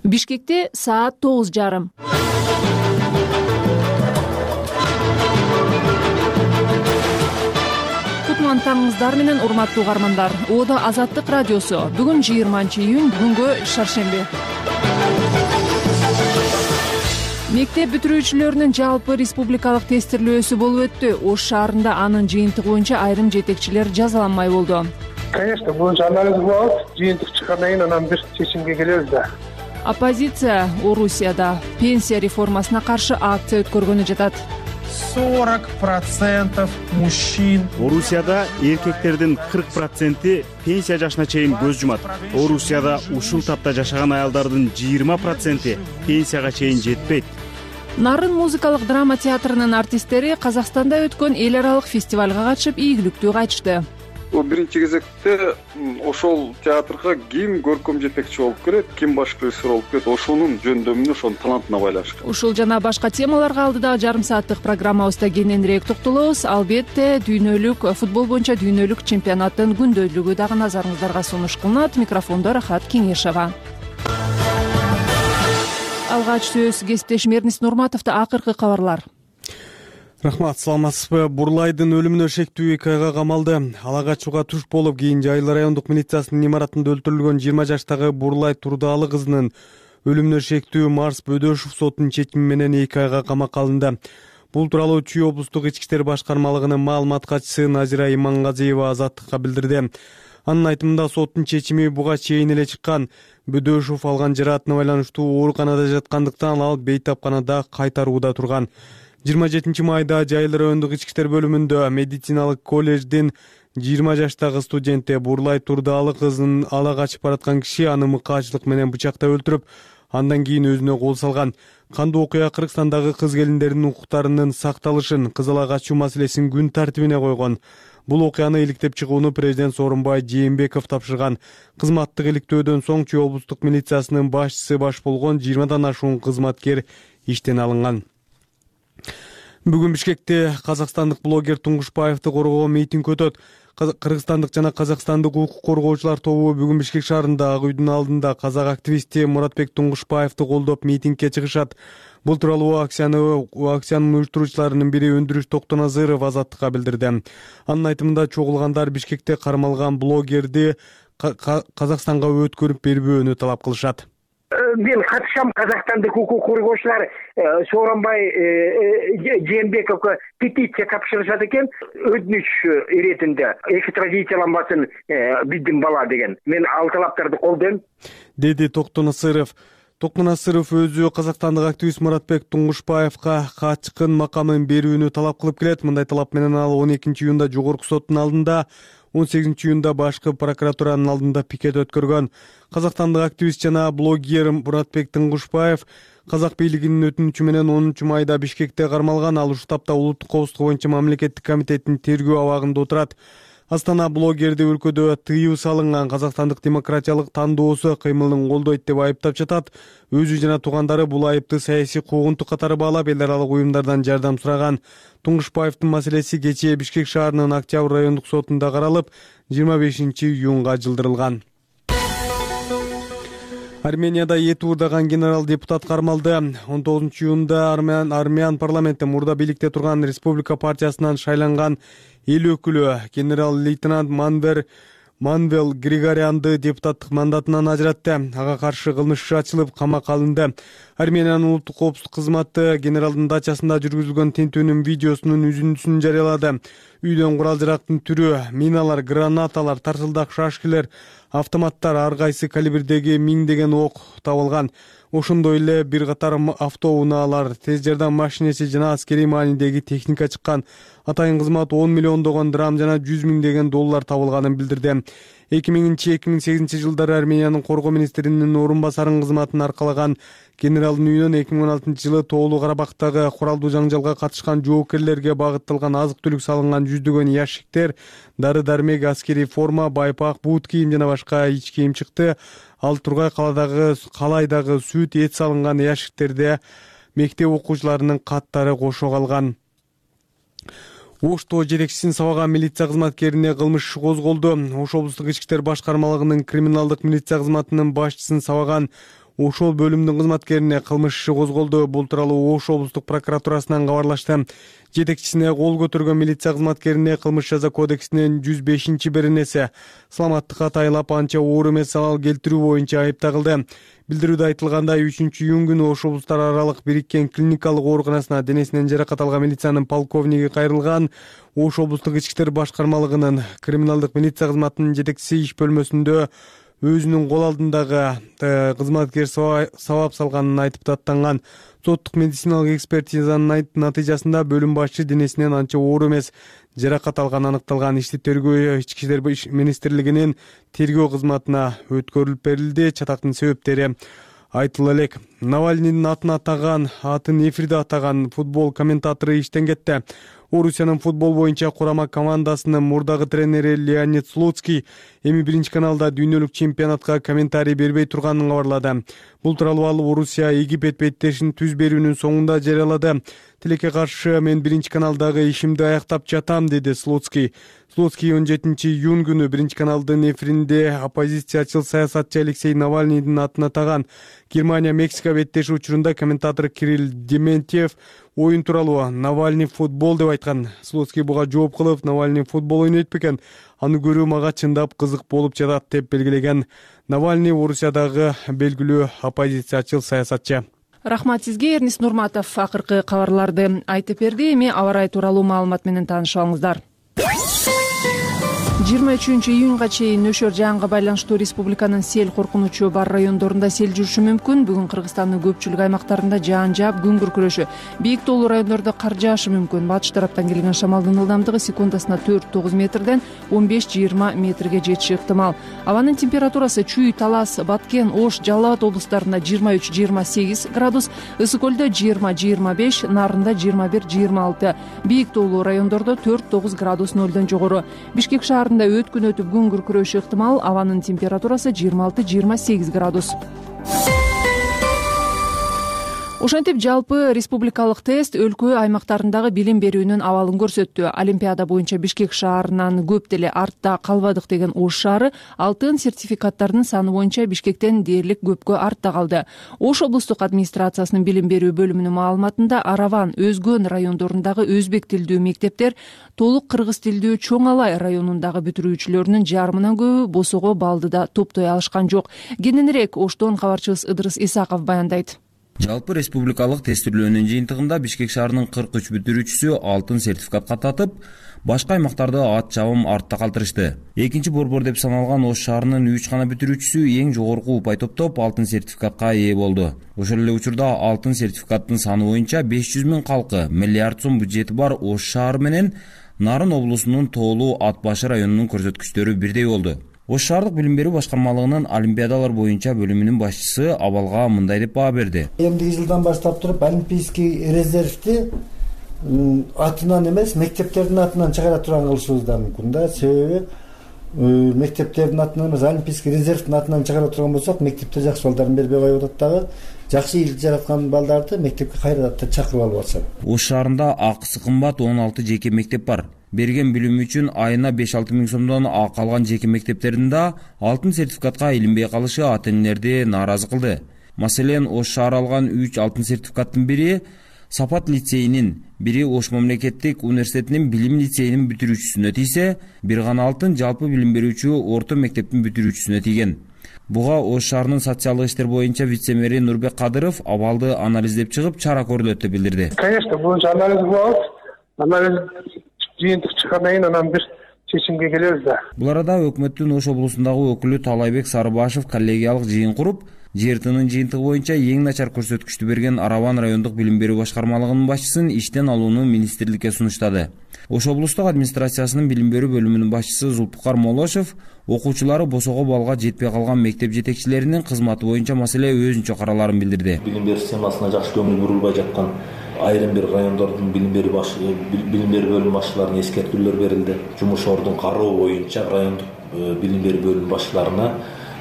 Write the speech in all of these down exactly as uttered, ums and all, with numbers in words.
Бишкекте саат тогуз жарым. Кутман таңыңыздар менен урматтуу угармандар. Оодо Азаттык радиосу. Бүгүн жыйырманчы июнь, бүгүнгө шаршемби. Мектеп бүтүрүүчүлөрүнүн жалпы республикалык тестирлөөсү болуп өттү. Ош шаарында анын жыйынтыгы боюнча айрым жетекчилер жазаланмай болду. Конечно, бул анализ болот. Жыйынтык чыккандан кийин анан бир чечимге келебиз да. Оппозиция Орусияда пенсия реформасына каршы акция өткөргөнү жатат. сорок процентов мужчин. Орусияда эркектердин кырк проценти пенсия жашына чейин көз жумат. Орусияда ушул тапта жашаган аялдардын жыйырма проценти пенсияга чейин жетпейт. Нарын музыкалык драма театрынын артисттери Казакстанда өткөн эл аралык фестивалга катышып ийгиликтүү кайтышты. Биринчи кезекте ошол театрга ким көркөм жетекчи болуп келет, ким баш режиссер болуп келет, ошонун жөндөмүнө, ошонун талантына байланыштуу. Ушул жана башка темаларга алдыдагы жарым сааттык программабызда кененирээк токтолобуз. Албетте, дүйнөлүк футбол боюнча дүйнөлүк чемпионаттын күндөлүгү дагы назарыңыздарга сунуш кылынат. Микрофондо Рахат Кеңешова. Алгач сөз кесиптешим Эрнис Нурматовдо. Акыркы кабарлар. Рахмат, саламатсызбы? Бурлайдын өлүмүнө шектүү эки айга камалды. Ала качууга туш болуп, кийин Жайыл райондук милициясынын имаратында өлтүрүлгөн жыйырма жаштагы Бурлай Турдаалы кызынын өлүмүнө шектүү Марс Бөдөшов сотунун чечими менен эки айга камакка алынды. Бул тууралуу Чүй облустук ички иштер башкармалыгынын маалымат катчысы Назира Имангазиева Азаттыкка билдирди. Анын айтымында соттун чечими буга чейин эле чыккан. Бөдөшов алган жараатына байланыштуу ооруканада жаткандыктан ал бейтапканада кайтарууда турган. жыйырма жетинчи майда Жайыл райондук ички иштер бөлүмүндө медициналык колледждин жыйырма жаштагы студенти Бурлай Турдаалы кызын ала качып бараткан киши аны мыкаачылык менен бычактап өлтүрүп, андан кийин өзүнө кол салган. Кандуу окуя Кыргызстандагы кыз келиндердин укуктарынын сакталышын, кыз ала качуу маселесин күн тартибине койгон. Бул окуяны иликтеп чыгууну президент Сооронбай Жээнбеков тапшырган. Кызматтык иликтөөдөн соң Чүй облустук милициясынын башчысы баш болгон жыйырмадан ашуун кызматкер иштен алынган. Бүгүн Бишкекте казакстандык блогер Туңгушбаевди коргоо митинг өтөт. Кыргызстандык жана казакстандык укук коргоочулар тобу бүгүн Бишкек шаарында Ак үйдүн алдында казак активисти Муратбек Туңгушбаевди колдоп митингге чыгышат. Бул тууралуу акцияны акциянын уюштуруучуларынын бири Өндүрүш Токтоназыров Азаттыкка билдирди. Анын айтымында чогулгандар Бишкекте кармалган блогерди Казакстанга өткөрүп бербөөнү талап кылышат. Мен катышам, казакстандык укук коргоочулар Сооронбай Жээнбековго петиция тапшырышат экен, өтүнүч иретинде экстрадицияланбасын биздин бала деген. Мен ал талаптарды колдойм, деди Токтоназыров. Токтоназыров өзү казакстандык активист Муратбек Туңгушбаевга качкын макамын берүүнү талап кылып келет. Мындай талап менен ал он экинчи июнда жогорку соттун алдында, он сегизинчи июнда башкы прокуратуранын алдында пикет өткөргөн. Казакстандык активист жана блогер Муратбек Туңгушбаев казак бийлигинин өтүнүчү менен онунчу майда Бишкекте кармалган. Ал ушул тапта улуттук коопсуздук боюнча мамлекеттик комитеттин тергөө абагында отурат. Астана блогерди өлкөдө тыюу салынган казакстандык демократиялык тандоосу кыймылын колдойт деп айыптап жатат. Өзү жана туугандары бул айыпты саясий куугунтук катары баалап, эл аралык уюмдардан жардам сураган. Туңгушбаевдин маселеси кечээ Бишкек шаарынын Октябрь райондук сотунда каралып, жыйырма бешинчи июнга жылдырылган. Арменияда эти уурдаган генерал депутат кармалды. он тогузунчу июнда армян армян парламенти мурда бийликте турган Республика партиясынан шайланган эл өкүлү генерал-лейтенант Манвер Манвел Григорянды депутаттык мандатынан ажыратты. Ага каршы кылмыш иши ачылып, камакка алынды. Армениянын улуттук коопсуздук кызматы генералдын дачасында жүргүзүлгөн тинтүүнүн видеосунун үзүндүсүн жарыялады. Үйдөн курал-жарактын түрү, миналар, гранаталар, тарсылдак шашкилер, автоматтар, ар кайсы калибрдеги миңдеген ок табылган. Ошондой эле бир катар автоунаалар, тез жардам машинеси жана аскерий маанидеги техника чыккан. Атайын кызмат он миллиондогон драм жана жүз миңдеген доллар табылганын билдирди. эки миңинчи эки миң сегизинчи жылдары Армениянын коргоо министринин орун басарынын кызматын аркалаган генералдын үйүнөн эки миң он алтынчы жылы Тоолуу Карабактагы куралдуу жаңжалга катышкан жоокерлерге багытталган азык-түлүк салынган жүздөгөн ящиктер, дары-дармек, аскерий форма, байпак, бут кийим жана башка ич кийим чыкты. Ал Тургай каладагы калайдагы сүт, эт салынган ящиктерде мектеп окуучуларынын каттары кошо калган. Ошто жетекчисин сабаган милиция кызматкерине кылмыш иши козголду. Ош облустук ички иштер башкармалыгынын криминалдык милиция кызматынын башчысын сабаган ошол бөлүмдүн кызматкерине кылмыш иши козголду. Бул тууралуу Ош облустук прокуратурасынан кабарлашты. Жетекчисине кол көтөргөн милиция кызматкерине кылмыш жаза кодексинин жүз бешинчи беренеси саламаттыкка тайлап анча оор эмес залал келтирүү боюнча айып тагылды. Билдирүүдө айтылгандай, үчүнчү июнь күнү Ош облустар аралык бириккен клиникалык ооруканасына денесинен жаракат алган милициянын полковниги кайрылган. Ош облустук ички иштер башкармалыгынын криминалдык милиция кызматынын жетекчиси иш бөлмөсүндө өзүнүн кол алдындагы кызматкер сабап салганын айтып даттанган. Соттук медициналык экспертизанын натыйжасында бөлүм башчы денесинен анча оор эмес жаракат алганы аныкталган. Ишти тергөө ички иштер министрлигинин тергөө кызматына өткөрүлүп берилди. Чатактын себептери айтыла элек. Навальныйдын атын атаган, атын эфирде атаган футбол комментатору иштен кетти. Орусиянын футбол боюнча курама командасынын мурдагы тренери Леонид Слуцкий эми биринчи каналда дүйнөлүк чемпионатка комментарий бербей турганын кабарлады. Бул тууралуу ал Орусия Египет беттешин түз берүүнүн соңунда жарыялады. Тилекке каршы мен биринчи каналдагы ишимди аяктап жатам, деди Слуцкий. Слуцкий он жетинчи июнь күнү биринчи каналдын эфиринде оппозициячыл саясатчы Алексей Навальныйдын атын атаган Германия Мексика беттеши учурунда комментатор Кирилл Дементьев оюн тууралуу Навальный футбол деп айткан. Слуцкий буга жооп кылып, Навальный футбол ойнойт бекен, аны көрүү мага чындап кызык болуп жатат деп белгилеген. Навальный Орусиядагы белгилүү оппозициячыл саясатчы. Рахмат сизге, Эрнис Нурматов акыркы кабарларды айтып берди. Эми аба ырайы тууралуу маалымат менен таанышып жыйырма үчүнчү июнга чейин нөшөр жаанга байланыштуу республиканын сел коркунучу бар райондорунда сел жүрүшү мүмкүн. Бүгүн Кыргызстандын көпчүлүк аймактарында жаан жаап, күн күркүрөшү. Бийик тоолуу райондордо кар жаашы мүмкүн. Батыш тараптан келген шамалдын ылдамдыгы секундасына төрт тогуз метрден он беш жыйырма метрге жетиши ыктымал. Абанын температурасы Чүй, Талас, Баткен, Ош, Жалал Абад облустарында жыйырма үч жыйырма сегиз градус, Ысык көлдө жыйырма жыйырма беш, Нарында жыйырма бир жыйырма алты, бийик тоолуу райондордо төрт тогуз градус нөлдөн жогору. Бишкек шаарында өткүн өтүп күн күркүрөшү ыктымал. Абанын температурасы жыйырма алты жыйырма сегиз градус. Ошентип жалпы республикалык тест өлкө аймактарындагы билим берүүнүн абалын көрсөттү. Олимпиада боюнча Бишкек шаарынан көп деле артта калбадык деген Ош шаары алтын сертификаттардын саны боюнча Бишкектен дээрлик көпкө артта калды. Ош облустук администрациясынын билим берүү бөлүмүнүн маалыматында Араван, Өзгөн райондорундагы өзбек тилдүү мектептер толук кыргыз тилдүү Чоң Алай районундагы бүтүрүүчүлөрүнүн жарымынан көбү босого баллды топтой алышкан жок. Кененирээк Оштон кабарчыбыз Ыдырыс Исаков баяндайт. Жалпы республикалык тестирлөөнүн жыйынтыгында Бишкек шаарынын кырк үч бүтүрүүчүсү алтын сертификатка татып, башка аймактарды ат чабым артта калтырышты. Экинчи борбор деп саналган Ош шаарынын үч гана бүтүрүүчүсү эң жогорку упай топтоп алтын сертификатка ээ болду. Ошол эле учурда алтын сертификаттын саны боюнча беш жүз миң калкы, миллиард сом бюджети бар Ош шаары менен Нарын облусунун Тоолуу Ат башы районунун көрсөткүчтөрү бирдей болду. Ош шаардык билим берүү башкармалыгынын олимпиадалар боюнча бөлүмүнүн башчысы абалга мындай деп баа берди. Эмдиги жылдан баштап туруп олимпийский резервди атынан эмес, мектептердин атынан чыгара турган кылышыбыз да мүмкүн да. Себеби мектептердин атынан эмес, олимпийский резервдин атынан чыгара турган болсок, мектепте жакшы балдарын бербей коюп атат дагы. Жакшы илди жараткан балдарды мектепке кайрадан чакырып алып атышат. Ош шаарында акысы кымбат он алты жеке мектеп бар. Берген билим үчүн айына беш алты миң сомдон акы алган жеке мектептердин да алтын сертификатка илинбей калышы ата-энелерди нааразы кылды. Маселен, Ош шаары алган үч алтын сертификаттын бири Сапат лицейинин, бири Ош мамлекеттик университетинин билим лицейинин бүтүрүүчүсүнө тийсе, бир гана алтын жалпы билим берүүчү орто мектептин бүтүрүүчүсүнө тийген. Буга Ош шаарынын социалдык иштер боюнча вице-мэри Нурбек Кадыров абалды анализдеп чыгып, чара көрүлөт деп билдирди. Конечно, бул анализ болот. Анализ жыйынтык чыккандан кийин анан бир чечимге келебиз да. Бул арада өкмөттүн Ош облусундагы өкүлү Талайбек Сарыбашев коллегиялык жыйын куруп, жертынын жыйынтыгы боюнча эң начар көрсөткүчтү берген Араван райондук билим берүү башкармалыгынын башчысын иштен алууну министрликке сунуштады. Ош облустук администрациясынын билим берүү бөлүмүнүн башчысы Зулпукар Молошев окуучулары босого балга жетпей калган мектеп жетекчилеринин кызматы боюнча маселе өзүнчө караларын билдирди. Билим берүү системасына жакшы көңүл бурулбай жаткан айрым бир райондордун билим берүү баш билим берүү бөлүм башчыларына эскертүүлөр берилди. Жумуш ордун кароо боюнча райондук билим берүү бөлүм башчыларына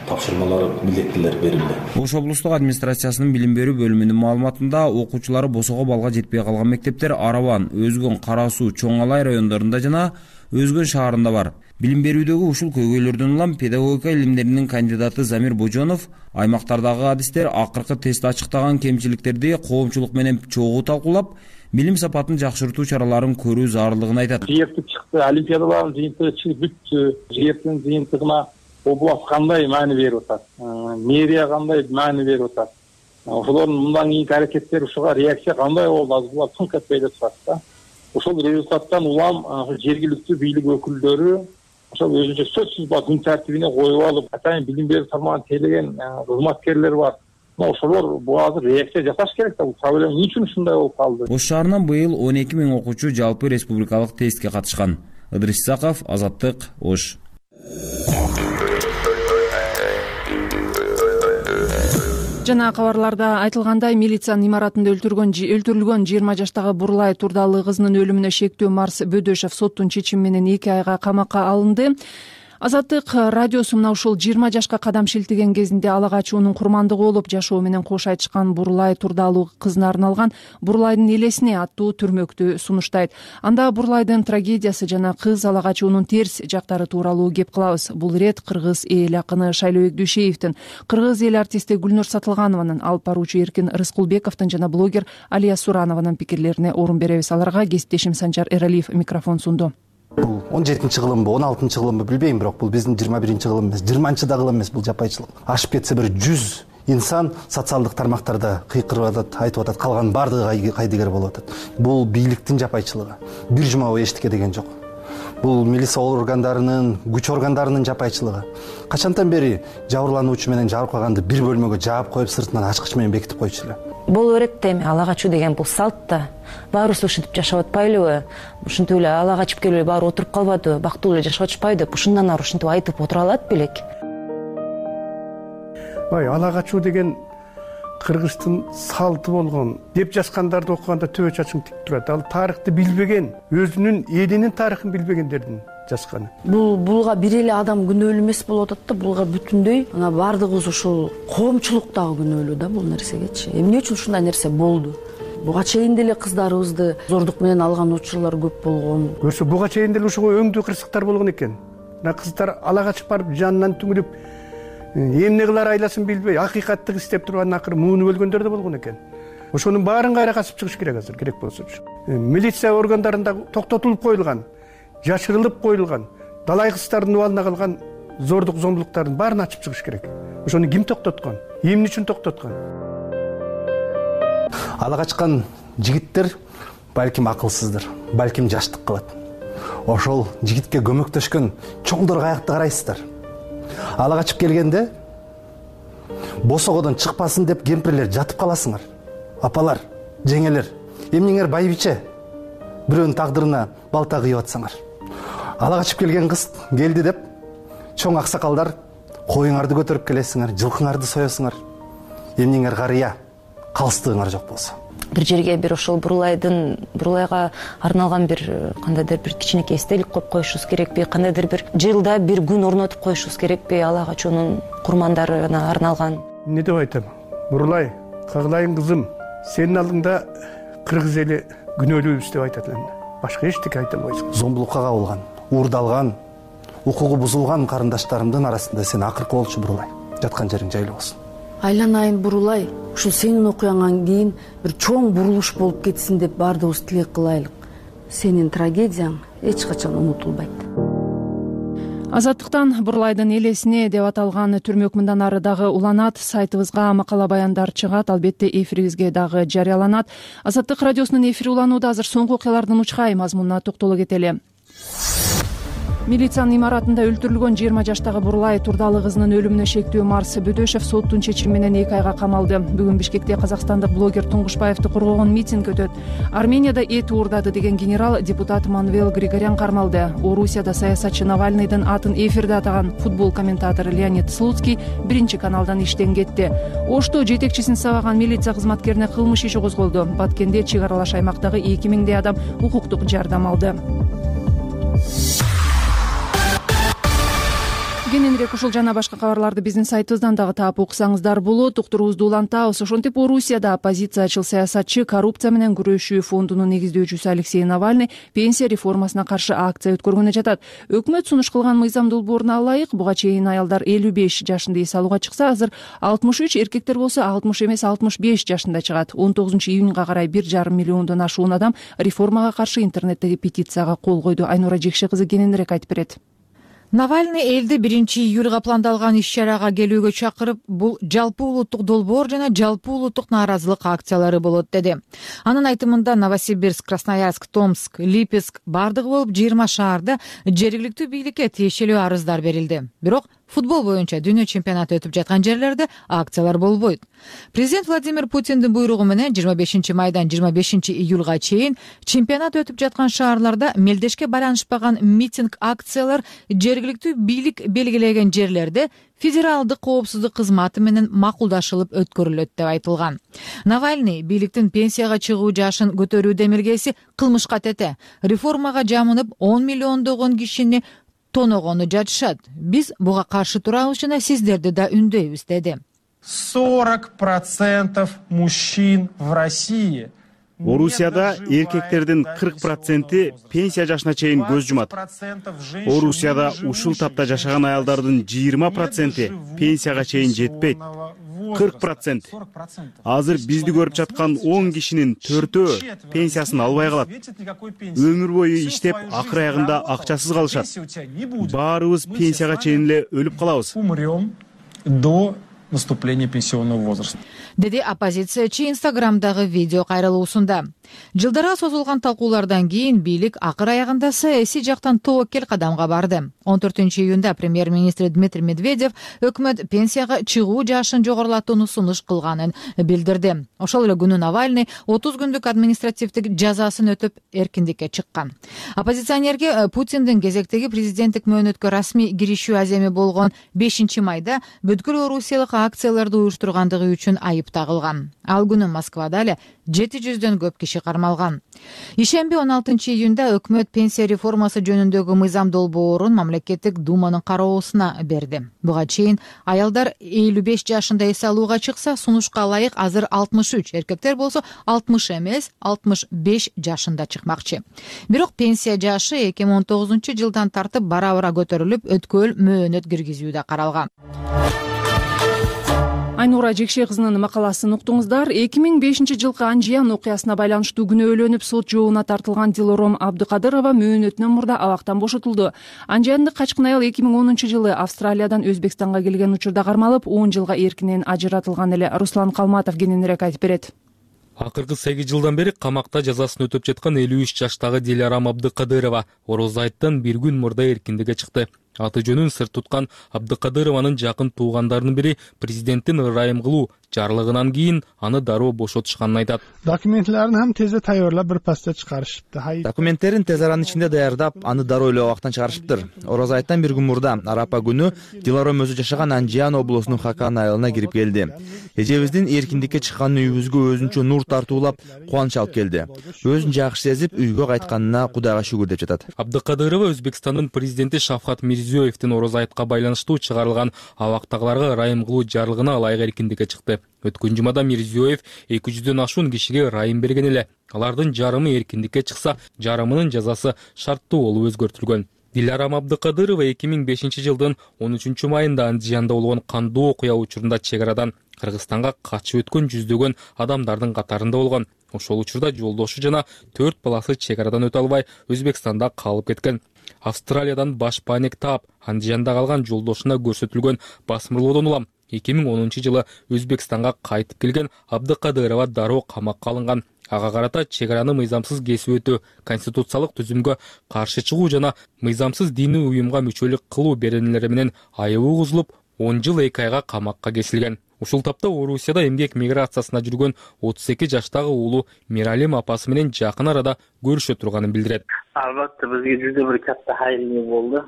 тапшырмалар, милдеттер берилди. Ош облустук администрациясынын билим берүү бөлүмүнүн маалыматында окуучулары босого балга жетпей калган мектептер Араван, Өзгөн, Кара Суу, Чоң Алай райондорунда жана Өзгөн шаарында бар. билим берүүдөгү ушул көйгөйлөрдөн улам педагогика илимдеринин кандидаты Замир Божонов аймактардагы адистер акыркы тест ачыктаган кемчиликтерди коомчулук менен чогуу талкуулап, билим сапатын жакшыртуу чараларын көрүү зарылдыгын айтат. Жыйынтык чыкты, олимпиадалардын жыйынтыгы чыгып бүттү. Жыйынтыктын жыйынтыгына область кандай маани берип атат, мэрия кандай маани берип атат, ошолордун мындан кийинки аракеттери, ушуга реакция кандай болду, азыр булар тынк этпей эле турат да. Ошол результаттан улам жергиликтүү бийлик өкүлдөрү ошол өзүнчө сөзсүз ба күн тартибине коюп алып, атайын билим берүү тармагын тейлеген кызматкерлер бар. Ошолор бул азыр реакция жасаш керек да, бул проблема эмне үчүн ушундай болуп калды? Ош шаарынан быйыл он эки миң окуучу жалпы республикалык тестке катышкан. Ыдырис Исаков, Азаттык, Ош. Жана кабарларда айтылгандай, милициянын имаратында өлтүргөн өлтүрүлгөн жыйырма жаштагы Бурлай Турдалы кызынын өлүмүнө шектөө Марс Бөдөшев соттун чечими менен эки айга камакка алынды. Азаттык радиосу мына ушул жыйырма жашка кадам шилтеген кезинде ала качуунун курмандыгы болуп жашоо менен кош айтышкан Бурлай Турдалы кызына арналган «Бурлайдын элесине» аттуу түрмөктү сунуштайт. Анда Бурлайдын трагедиясы жана кыз ала качуунун терс жактары тууралуу кеп кылабыз. Бул ирет кыргыз эл акыны Шайлообек Дүйшеевдин, кыргыз эл артисти Гүлнур Сатылганованын, алып баруучу Эркин Рыскулбековдун жана блогер Алия Суранованын пикирлерине орун беребиз. Аларга кесиптешим Санжар Эралиев микрофон сунду. Бул он жетинчи кылымбы, он алтынчы кылымбы билбейм, бирок бул биздин жыйырма биринчи кылым эмес, жыйырманчы да кылым эмес, бул жапайчылык. Ашып кетсе бир жүз инсан социалдык тармактарда кыйкырып атат, айтып атат, калган баардыгы кайдыгер болуп атат. Бул бийликтин жапайчылыгы. Бир жума бою эчтике деген жок. Бул милиция органдарынын, күч органдарынын жапайчылыгы. Качантан бери жабырлануучу менен жабыркаганды бир бөлмөгө жаап коюп, сыртынан ачкыч менен бекитип койчу эле. Боло берет да, эми ала качуу деген бул салт да. Баарыбыз ушинтип жашап атпайлыбы? Ушинтип эле ала качып келип баары отуруп калбадыбы? Бактылуу эле жашап атышпайбы деп ушундан ары ушинтип айтып отура алат белек. Ой, ала качуу деген кыргыздын салты болгон деп жазгандарды окуганда төбө чачың тик турат. Ал тарыхты билбеген, өзүнүн элинин тарыхын билбегендердин жазганы. Бул булга бир эле адам күнөөлүү эмес болуп атат да, булга бүтүндөй ана бардыгыбыз ушул коомчулук дагы күнөөлүү да бул нерсегечи. Эмне үчүн ушундай нерсе болду? Буга чейин деле кыздарыбызды зордук менен алган учурлар көп болгон. Көрсө буга чейин деле ушуга өңдүү кырсыктар болгон экен. Мына кыздар ала качып барып жанынан түңүлүп, эмне кылар айласын билбей, акыйкаттык издеп турган акыры муунуп өлгөндөр да болгон экен. Ошонун баарын кайра касып чыгыш керек азыр, керек болсочу. Милиция органдарында токтотулуп коюлган, жашырылып коюлган, далай кыздардын убалына калган зордук зомбулуктардын баарын ачып чыгыш керек. Ошону ким токтоткон? Эмне үчүн токтоткон? Ала качкан жигиттер балким акылсыздыр, балким жаштык кылат. Ошол жигитке көмөктөшкөн чоңдор каякты карайсыздар. Ала качып келгенде босогодон чыкпасын деп кемпирлер жатып каласыңар. Апалар, жеңелер, эмнеңер байбиче бирөөнүн тагдырына балта кыйып атсаңар. Ала качып келген кыз келди деп чоң аксакалдар коюңарды көтөрүп келесиңер, жылкыңарды соесуңар. Эмнеңер карыя, калыстыгыңар жок болсо. Бир жерге бир ошол Бурлайдын Бурлайга арналган бир кандайдыр бир кичинекей эстелик коюп коюшубуз керекпи? Кандайдыр бир жылда бир күн орнотуп коюшубуз керекпи? Ала качуунун курмандарына арналган. Эмне деп айтам? Бурлай, кагылайын кызым, сенин алдыңда кыргыз эли күнөөлүүбүз деп айтат элем. Башка эчтеке айта албайсың. Зомбулукка кабылган, уурдалган, укугу бузулган карындаштарымдын арасында сен акыркы болчу Бурлай. Жаткан жериң жайлуу болсун. Айланайын Бурлай, ушул сенин окуяңан кийин бир чоң бурулуш болуп кетсин деп баардыгыбыз тилек кылайлык. Сенин трагедияң эч качан унутулбайт. Азаттыктан Бурлайдын элесине деп аталган түрмөк мындан ары дагы уланат. Сайтыбызга макала баяндар чыгат, албетте эфирибизге дагы жарыяланат. Азаттык радиосунун эфири уланууда. Азыр соңку окуялардын учкай мазмунуна токтоло кетели. Милициянын имаратында өлтүрүлгөн жыйырма жаштагы Бурлай Турдалы кызынын өлүмүнө шектөө Марс Бөдөшев соттун чечими менен эки айга камалды. Бүгүн Бишкекте казакстандык блогер Туңгушбаевди коргогон митинг өтөт. Арменияда эт уурдады деген генерал депутат Манвел Григорян кармалды. Орусияда саясатчы Навальныйдын атын эфирде атаган футбол комментатору Леонид Слуцкий биринчи каналдан иштен кетти. Ошто жетекчисин сабаган милиция кызматкерине кылмыш иши козголду. Баткенде чек аралаш аймактагы эки миңдей адам укуктук жардам алды. кененирээк ушул жана башка кабарларды биздин сайтыбыздан дагы таап уксаңыздар болот. Уктуруубузду улантабыз. Ошентип Орусияда оппозициячыл саясатчы коррупция менен күрөшүү фондунун негиздөөчүсү Алексей Навальный пенсия реформасына каршы акция өткөргөнү жатат. Өкмөт сунуш кылган мыйзам долбооруна ылайык буга чейин аялдар элүү беш жашында эс алууга чыкса, азыр алтымыш үч, эркектер болсо алтымыш эмес алтымыш беш жашында чыгат. он тогузунчу июнга карай бир жарым миллиондон ашуун адам реформага каршы интернеттеги петицияга кол койду. Айнура Жекше кызы кененирээк айтып берет. Навальный элди биринчи июлга пландалган иш-чарага келүүгө чакырып, бул жалпы улуттук долбоор жана жалпы улуттук нааразылык акциялары болот деди. Анын айтымында Новосибирск, Красноярск, Томск, Липецк бардыгы болуп жыйырма шаарда жергиликтүү бийликке тиешелүү арыздар берилди. Бирок футбол боюнча дүйнө чемпионаты өтүп жаткан жерлерде акциялар болбойт. Президент Владимир Путиндин буйругу менен жыйырма бешинчи майдан жыйырма бешинчи июлга чейин чемпионат өтүп жаткан шаарларда мелдешке байланышпаган митинг акциялар жергиликтүү бийлик белгилеген жерлерде федералдык коопсуздук кызматы менен макулдашылып өткөрүлөт деп айтылган. Навальный бийликтин пенсияга чыгуу жашын көтөрүү демилгеси кылмышка тете. Реформага жамынып он миллиондогон кишини тоногону жатышат. Биз буга каршы турабыз жана сиздерди да үндөйбүз деди. сорок процентов мужчин в России. Орусияда эркектердин кырк проценти пенсия жашына чейин көз жумат. Орусияда ушул тапта жашаган аялдардын жыйырма проценти пенсияга чейин жетпейт. кырк процент. Азыр бизди көрүп жаткан он кишинин төртөө пенсиясын албай калат. Өмүр бою иштеп, акыр аягында акчасыз калышат. Баарыбыз пенсияга чейин эле өлүп калабыз. Умрем до наступления пенсионного возраста. Деди оппозициячы Инстаграмдагы видео кайрылуусунда. Жылдара созулган талкуулардан кийин бийлик акыр аягында саясий жактан тобокел кадамга барды. он төртүнчү июнда премьер-министр Дмитрий Медведев өкмөт пенсияга чыгуу жашын жогорулатууну сунуш кылганын билдирди. Ошол эле күнү Навальный отуз күндүк административдик жазасын өтүп эркиндикке чыккан. Оппозиционерге Путиндин кезектеги президенттик мөөнөткө расмий киришүү аземи болгон бешинчи майда бүткүл орусиялык акцияларды уюштургандыгы үчүн айып тагылган. Ал күнү Москвада эле жети жүздөн көп киши кармалган. Ишемби он алтынчы июнда өкмөт пенсия реформасы жөнүндөгү мыйзам долбоорун мамлекеттик думанын кароосуна берди. Буга чейин аялдар элүү беш жашында эс алууга чыкса, сунушка ылайык азыр алтымыш үч, эркектер болсо алтымыш эмес алтымыш беш жашында чыкмакчы. Бирок пенсия жашы эки миң он тогузунчу жылдан тартып бара-бара көтөрүлүп, өткөл мөөнөт киргизүү да каралган. Айнура Жекше кызынын макаласын уктуңуздар. эки миң бешинчи жылкы Анжиян окуясына байланыштуу күнөөлөнүп сот жообуна тартылган Дилором Абдыкадырова мөөнөтүнөн мурда абактан бошотулду. Анжияндык качкын аял эки миң онунчу жылы Австралиядан Өзбекстанга келген учурда кармалып, он жылга эркинен ажыратылган эле. Руслан Калматов кененирээк айтып берет. Акыркы сегиз жылдан бери камакта жазасын өтөп жаткан элүү үч жаштагы Дилором Абдыкадырова Ороз айттан бир күн мурда эркиндикке чыкты. Аты жөнүн сыр туткан Абдыкадырованын жакын туугандарынын бири президенттин ырайым кылуу жарлыгынан кийин аны дароо бошотушканын айтат. Документтерин ham tezde tayyorlab bir pasda chiqarishibdi. Документтерин тез аранын ичинде даярдап, аны дароо эле убактан чыгарышыптыр. Ороз айттан бир күн мурда Арапа күнү Дилором өзү жашаган Анжиян облусунун Хакан айылына кирип келди. Эжебиздин эркиндикке чыккан үйүбүзгө өзүнчө нур тартуулап, кубанч алып келди. Өзүн жакшы сезип, үйгө кайтканына Кудайга шүгүр деп жатат. Абдыкадырова Өзбекстандын президенти Шавкат Мирзиёевдин Ороз айтка байланыштуу чыгарылган абактагыларга ырайым кылуу жарлыгына ылайык эркиндикке чыкты. Өткөн жумада Мирзиёев эки жүздөн ашуун кишиге ырайым берген эле. Алардын жарымы эркиндикке чыкса, жарымынын жазасы шарттуу болуп өзгөртүлгөн. Дилором Абдыкадырова эки миң бешинчи жылдын он үчүнчү майында Андижанда болгон кандуу окуя учурунда чек арадан Кыргызстанга качып өткөн жүздөгөн адамдардын катарында болгон. Ошол учурда жолдошу жана төрт баласы чек арадан өтө албай Өзбекстанда калып кеткен. Австралиядан баш паник таап, Андижанда калган жолдошуна көрсөтүлгөн басмырлоодон улам эки миң онунчу жылы Өзбекстанга кайтып келген Абдыкадырова дароо камакка алынган. Ага карата чек араны мыйзамсыз кесип өтүү, конституциялык түзүмгө каршы чыгуу жана мыйзамсыз диний уюмга мүчөлүк кылуу беренелери менен айыбы угузулуп, он жыл эки айга камакка кесилген. Ушул тапта Орусияда эмгек миграциясына жүргөн отуз эки жаштагы уулу Миралим апасы менен жакын арада көрүшө турганын билдирет. Албатта бизге жүзө бир катта хайыл болду.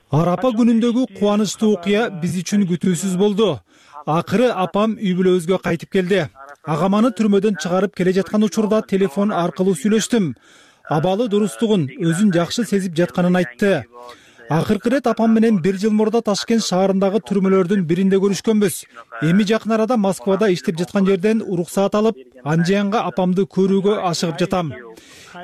Арапа күнүндөгү кубанычтуу окуя биз үчүн күтүүсүз болду. Акыры апам үй бүлөбүзгө кайтып келди. Агаманы түрмөдөн чыгарып келе жаткан учурда телефон аркылуу сүйлөштүм. Абалы дурустугун, өзүн жакшы сезип жатканын айтты. Акыркы ирет апам менен бир жыл мурда Ташкент шаарындагы түрмөлөрдүн биринде көрүшкөнбүз. Эми жакын арада Москвада иштеп жаткан жерден уруксаат алып, Анжиянга апамды көрүүгө ашыгып жатам.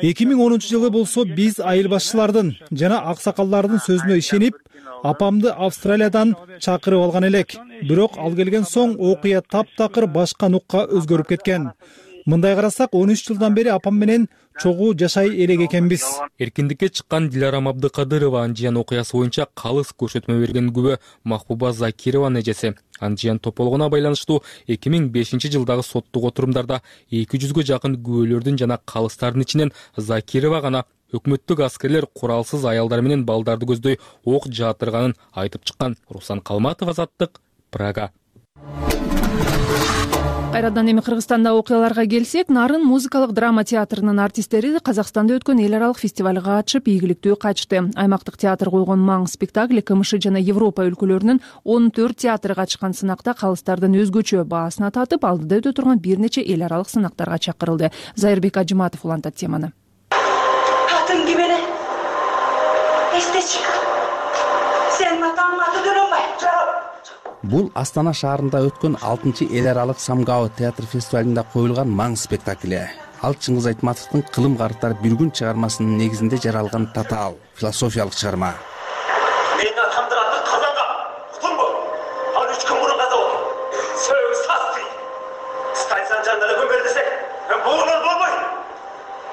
эки миң онунчу жылы болсо биз айыл башчылардын жана аксакалдардын сөзүнө ишенип, апамды Австралиядан чакырып алган элек. Бирок ал келген соң окуя таптакыр башка нукка өзгөрүп кеткен. Мындай карасак, он үч жылдан бери апам менен чогуу жашай элек экенбиз. Эркиндикке чыккан Диларам Абдыкадырова Анжиян окуясы боюнча калыс көрсөтмө берген күбө Махбуба Закированын эжеси. Анжиян тополгонуна байланыштуу эки миң бешинчи жылдагы соттук отурумдарда эки жүзгө жакын күбөлөрдүн жана калыстардын ичинен Закирова гана өкмөттүк аскерлер куралсыз аялдар менен балдарды көздөй ок жаатырганын айтып чыккан. Руслан Калматов, Азаттык, Прага. Кайрадан эми Кыргызстандагы окуяларга келсек, Нарын музыкалык драма театрынын артисттери Казакстанда өткөн эл аралык фестивалга катышып, ийгиликтүү кайтышты. Аймактык театр койгон маң спектакль КМШ жана Европа өлкөлөрүнүн он төрт театры катышкан сынакта калыстардын өзгөчө баасына татып, алдыда өтө турган бир нече эл аралык сынактарга чакырылды. Зайырбек Ажыматов улантат теманы. Атың ким эле? Эсте чык. Сен атаң аты Дөлөнбай. Бул Астана шаарында өткөн алтынчы эл аралык Самгао театр фестивалында коюлган маң спектакли. Ал Чыңгыз Айтматовдун Кылым карыптар бир күн чыгармасынын негизинде жаралган татаал философиялык чыгарма. Мен атамдын аты Казанга. Утунбу? Ал үч күн мурун каза болду. Сөөгү састы. Станцияны жанында көмөр десек, буунун болбой.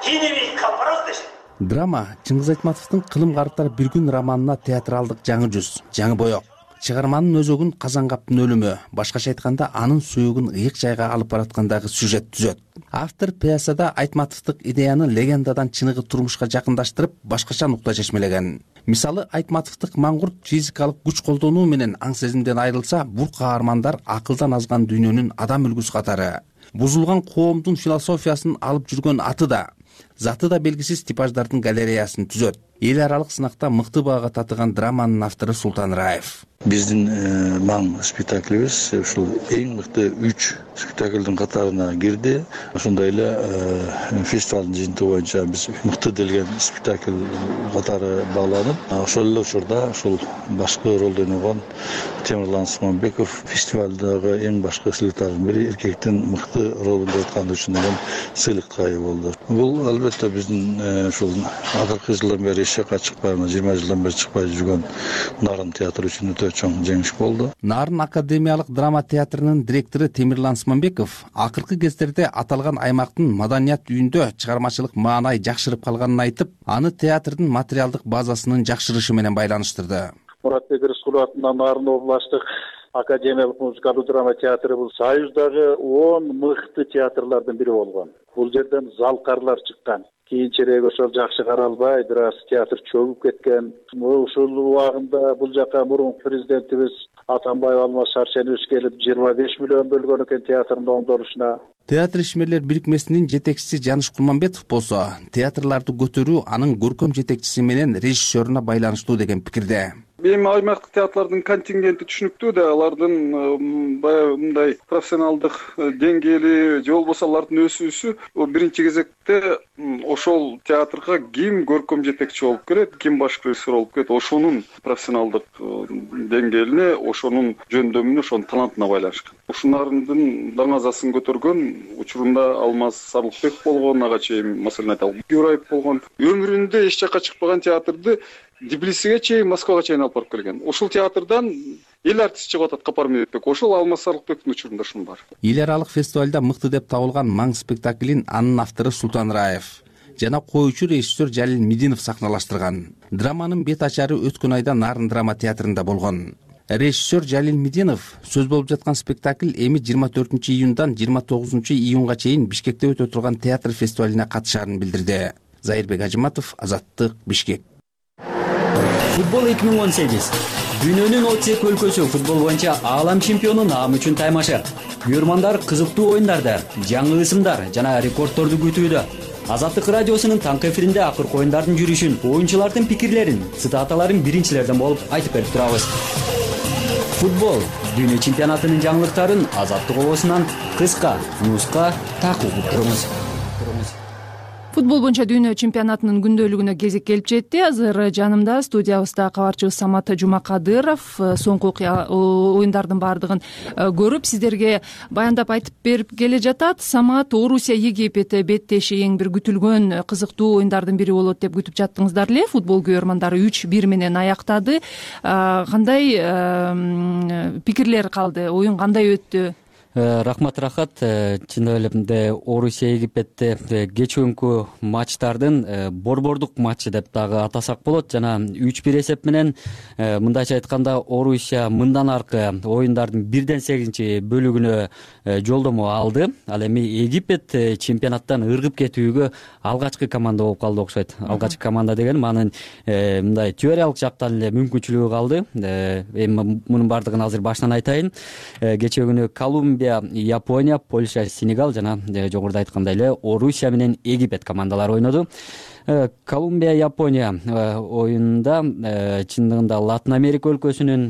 Кинеби капарос деш. Драма Чыңгыз Айтматовдун Кылым карыптар бир күн романына театралдык жаңы жүз, жаңы боек. Чыгарманын өзөгүн Казангаптын өлүмү, башкача айтканда анын сөөгүн ыйык жайга алып бараткандагы сюжет түзөт. Автор пьесада Айтматовдук идеяны легендадан чыныгы турмушка жакындаштырып, башкача нукта чечмелеген. Мисалы, Айтматовдук маңгурт физикалык күч колдонуу менен аң сезимден айрылса, бул каармандар акылдан азган дүйнөнүн адам үлгүсү катары. Бузулган коомдун философиясын алып жүргөн аты да, заты да белгисиз типаждардын галереясын түзөт. Эл аралык сынакта мыкты баага татыган драманын автору Султан Раев. Биздин маң спектаклибиз ушул эң мыкты үч спектаклдын катарына кирди. Ошондой эле фестивалдын жыйынтыгы боюнча биз мыкты делген спектакль катары бааланып, ошол эле учурда ушул башкы ролду ойногон Темирлан Суманбеков фестивалдагы эң башкы сыйлыктардын бири эркектин мыкты ролунда өткөн үчүн деген сыйлыкка ээ болду. Бул албетте биздин ушул акыркы жылдан бери эшикке чыкпай, жыйырма жылдан бери чыкпай жүргөн Нарын театры үчүн өтө чоң жеңиш болду. Нарын академиялык драма театрынын директору Темирлан Суманбеков акыркы кездерде аталган аймактын маданият үйүндө чыгармачылык маанай жакшырып калганын айтып, аны театрдын материалдык базасынын жакшырышы менен байланыштырды. Муратбек Рыскулов атынан Нарын областык академиялык музыкалык драма театры бул Союздагы он мыкты театрлардын бири болгон. Бул жерден залкарлар чыккан. Кийинчерээк ошол жакшы каралбай, бир аз театр чөгүп кеткен. Ушул убагында бул жака мурунку президентибиз Атамбаев Алмаз Шаршенович келип жыйырма беш миллион бөлгөн экен театрдын оңдолушуна. Театр ишмерлер бирикмесинин жетекчиси Жаныш Кулманбетов болсо, театрларды көтөрүү анын көркөм жетекчиси менен режиссеруна байланыштуу деген пикирде. Эми аймактык театрлардын контингенти түшүнүктүү да, алардын баягы мындай профессионалдык деңгээли же болбосо алардын өсүүсү биринчи кезекте ошол театрга ким көркөм жетекчи болуп келет, ким баш режиссер болуп келет, ошонун профессионалдык деңгээлине, ошонун жөндөмүнө, ошонун талантына байланышкан. Ушунардын даңазасын көтөргөн учурунда Алмаз Сарлыкбек болгон, ага чейин маселен айталы Гюраев болгон. Өмүрүндө эч жакка чыкпаган театрды Тбилисиге чейин, Москвага чейин алып барып келген. Ошол театрдан эл артист чыгып атат Капар Медетбек. Ошол Алмаз Сарлыкбектин учурунда ушун бар. Эл аралык фестивалда мыкты деп табылган маң спектаклин анын автору Султан Раев жана коюучу режиссер Жалил Мединов сахналаштырган. Драманын бет ачары өткөн айда Нарын драма театрында болгон. Режиссер Жалил Мединов сөз болуп жаткан спектакль эми жыйырма төртүнчү июндан жыйырма тогузунчу июнга чейин Бишкекте өтө турган театр фестивалине катышарын билдирди. Зайырбек Ажыматов, Азаттык, Бишкек. Футбол эки миң он сегиз. Дүйнөнүн отуз эки өлкөсү футбол боюнча аалам чемпиону наам үчүн таймашы. Күйөрмандар кызыктуу оюндарды, жаңы ысымдар жана рекордторду күтүүдө. Азаттык радиосунун таңкы эфиринде акыркы оюндардын жүрүшүн, оюнчулардын пикирлерин, цитаталарын биринчилерден болуп айтып берип турабыз. Футбол дүйнө чемпионатынын жаңылыктарын Азаттык обосунан кыска, нуска такып туруңуз. Футбол боюнча дүйнө чемпионатынын күндөлүгүнө кезек келип жетти. Азыр жанымда студиябызда кабарчыбыз Самат Жумакадыров соңку оюндардын баардыгын көрүп сиздерге баяндап айтып берип келе жатат. Самат, Орусия Египет беттеши эң бир күтүлгөн кызыктуу оюндардын бири болот деп күтүп жаттыңыздар эле. Футбол көрөрмандары үч бир менен аяктады. Кандай пикирлер калды? Оюн кандай өттү? Рахмат, рахат. Чындап эле Орусия Египетте кечүүнкү матчтардын борбордук матчы деп дагы атасак болот. Жана үч бир эсеп менен мындайча айтканда Орусия мындан аркы оюндардын бирден сегизинчи бөлүгүнө жолдомо алды. Ал эми Египет чемпионаттан ыргып кетүүгө алгачкы команда болуп калды окшойт. Алгачкы команда деген анын мындай теориялык жактан эле мүмкүнчүлүгү калды. Эми мунун баардыгын азыр башынан айтайын. Кечээ күнү Колумбия, Япония, Польша, Сенегал жана жогоруда айткандай эле Орусия менен Египет командалары ойноду. Колумбия, Япония оюнунда чындыгында Латын Америка өлкөсүнүн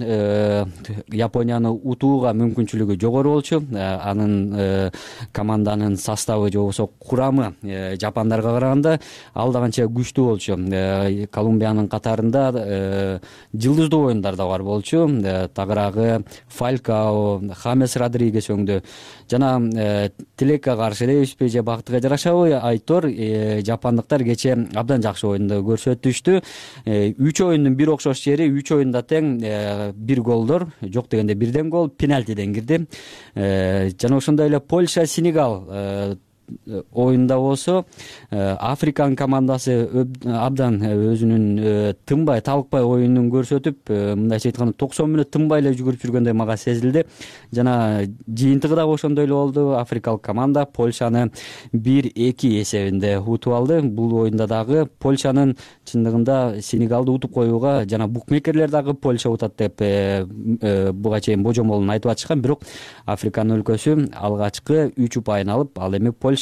Японияны утууга мүмкүнчүлүгү жогору болчу. Анын команданын составы же болбосо курамы жапондарга караганда ал да канча күчтүү болчу. Колумбиянын катарында жылдыздуу оюндар да бар болчу. Тагыраагы Фалькао, Хамес Родригес өңдү. Жана тилекке каршы элебизби же бактыга жарашабы айтор жапондуктар кечээ абдан жакшы оюнду көрсөтүштү. Үч оюндун бир окшош жери, үч оюнда тең, бир голдор, жок дегенде бирден гол пенальтиден кирди. Жана ошондой эле Польша, Сенегал оюнда болсо Африканын командасы абдан өзүнүн тынбай, талыкпай оюнун көрсөтүп, мындайча айтканда токсон мүнөт тынбай эле жүгүрүп жүргөндөй мага сезилди. Жана жыйынтыгы дагы ошондой эле болду. Африкалык команда Польшаны бир эки эсебинде утуп алды. Бул оюнда дагы Польшанын чындыгында Сенегалды утуп коюуга жана букмекерлер дагы Польша утат деп буга чейин божомолун айтып атышкан. Бирок Африканын өлкөсү алгачкы үч упайын алып, ал эми Польша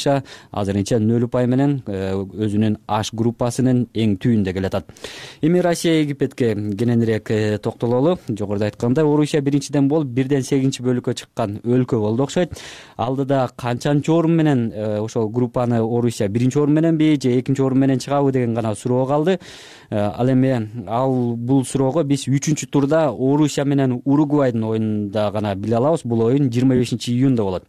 азырынча нөл упай менен өзүнүн H группасынын эң түбүндө келатат. Эми Россия Египетке кененирээк токтололу. Жогоруда айткандай, Орусия биринчиден болуп бирден сегизинчи бөлүккө чыккан өлкө болду окшойт. Алдыда канчанчы орун менен ошол группаны Орусия биринчи орун мененби же экинчи орун менен чыгабы деген гана суроо калды. Ал эми ал бул суроого биз үчүнчү турда Орусия менен Уругвайдын оюнунда гана биле алабыз. Бул оюн жыйырма бешинчи июнда болот.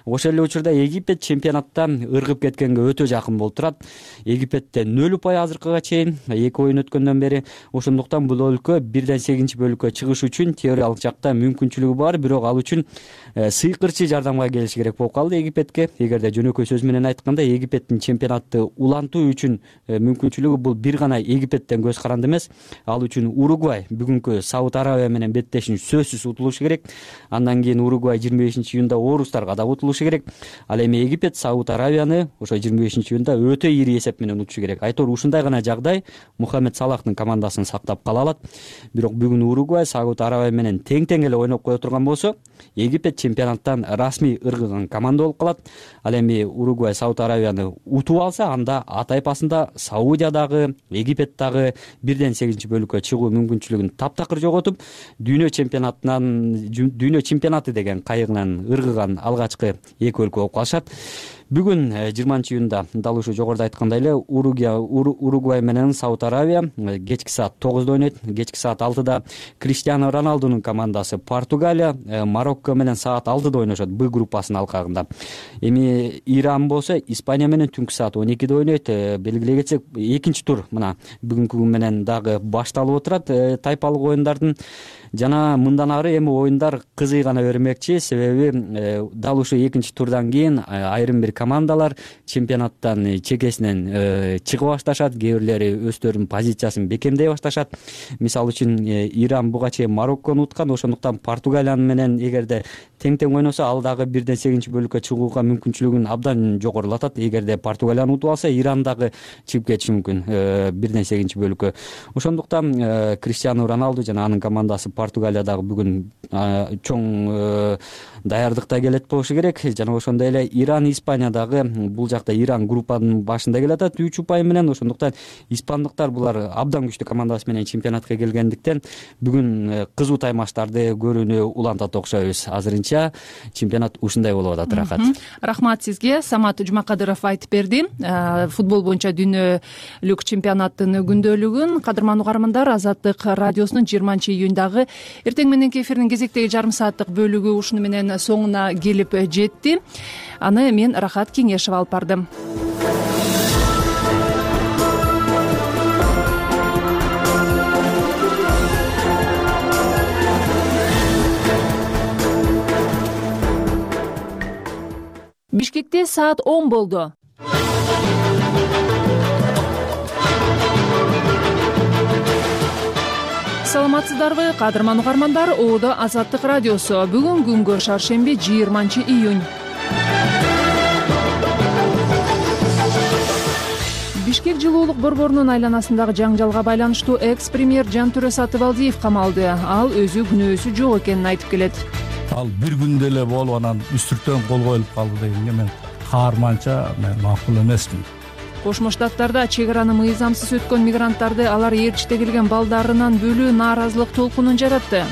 Ошол эле учурда Египет чемпионатта ыргып кеткенге өтө жакын болуп турат. Египетте нөл упай азыркыга чейин, эки оюн өткөндөн бери. Ошондуктан бул өлкө бирден сегизинчи бөлүккө чыгыш үчүн теориялык жакта мүмкүнчүлүгү бар, бирок ал үчүн сыйкырчы жардамга келиши керек болуп калды Египетке. Эгерде жөнөкөй сөз менен айтканда, Египеттин чемпионатты улантуу үчүн мүмкүнчүлүгү бул бир гана Египеттен көз каранды эмес. Ал үчүн Уругвай бүгүнкү Сауд Арабия менен беттешин сөзсүз утулушу керек. Андан кийин Уругвай жыйырма бешинчи июнда орустарга да утулушу керек. Ал эми Египет Сауд Арабияны ошо жыйырма бешинчи июнда өтө ири эсеп менен утушу керек. Айтор ушундай гана жагдай Мухаммед Салахтын командасын сактап кала алат. Бирок бүгүн Уругвай Сауд Арабия менен тең-тең эле ойноп кое турган болсо, Египет чемпионаттан расмий ыргыган команда болуп калат. Ал эми Уругвай Сауд Арабияны утуп алса, анда А тайпасында Саудия дагы, Египет дагы бирден сегизинчи бөлүккө чыгуу мүмкүнчүлүгүн таптакыр жоготуп, дүйнө чемпионатынан дүйнө чемпионаты деген кайыгынан ыргыган алгачкы эки өлкө болуп калышат. Бүгүн жыйырманчы июнда дал ушу жогоруда айткандай эле Уругвай менен Сауд Арабия кечки саат тогузда ойнойт. Кечки саат алтыда Криштиано Роналдунун командасы Португалия Марокко менен саат алтыда ойношот Б группасынын алкагында. Эми Иран болсо Испания менен түнкү саат он экиде ойнойт. Белгилей кетсек, экинчи тур мына бүгүнкү күн менен дагы башталып отурат тайпалык оюндардын. Жана мындан ары эми оюндар кызый гана бермекчи, себеби дал ушул экинчи турдан кийин айрым бир командалар чемпионаттан чекесинен чыгып башташат, кээ бирлери өздөрүнүн позициясын бекемдей башташат. Мисалы үчүн Иран буга чейин Мароккону уткан, ошондуктан Португалия менен эгерде тең-тең ойносо, ал дагы бирден сегизинчи бөлүккө чыгууга мүмкүнчүлүгүн абдан жогорулатат. Эгерде Португалияны утуп алса, Иран дагы чыгып кетиши мүмкүн бирден сегизинчи бөлүккө. Ошондуктан Криштиано Роналду жана анын командасы Португалия дагы бүгүн чоң даярдыкта келет болушу керек. Жана ошондой эле Иран, Испания дагы, бул жакта Иран группанын башында келатат үч упай менен. Ошондуктан испандыктар булар абдан күчтүү командасы менен чемпионатка келгендиктен бүгүн кызуу таймаштарды көрүүнү улантат окшойбуз. Азырынча чемпионат ушундай болуп атат. Рахат. Рахмат сизге. Самат Жумакадыров айтып берди футбол боюнча дүйнөлүк чемпионаттын күндөлүгүн. Кадырман угармандар, Азаттык радиосунун жыйырманчы июндагы эртең мененки эфирдин кезектеги жарым сааттык бөлүгү ушуну менен соңуна келип жетти. Аны мен Рахат Кеңешова алып бардым. Бишкекте саат он болду. Саламатсыздарбы, кадырман угармандар? Оодо Азаттык радиосу. Бүгүн күнгө шаршемби жыйырманчы июнь. Бишкек жылуулук борборунун айланасындагы жаңжалга байланыштуу экс-премьер Жантүрө Сатыбалдиев камалды. Ал өзү күнөөсү жок экенин айтып келет. Ал бир күндө эле болуп анан үстүртөн кол коюлуп калды дегенге мен каарманча мен макул эмесмин. Кошмо Штаттарда чек араны мыйзамсыз өткөн мигранттарды алар ээрчите келген балдарынан бөлүү нааразылык толкунун жаратты.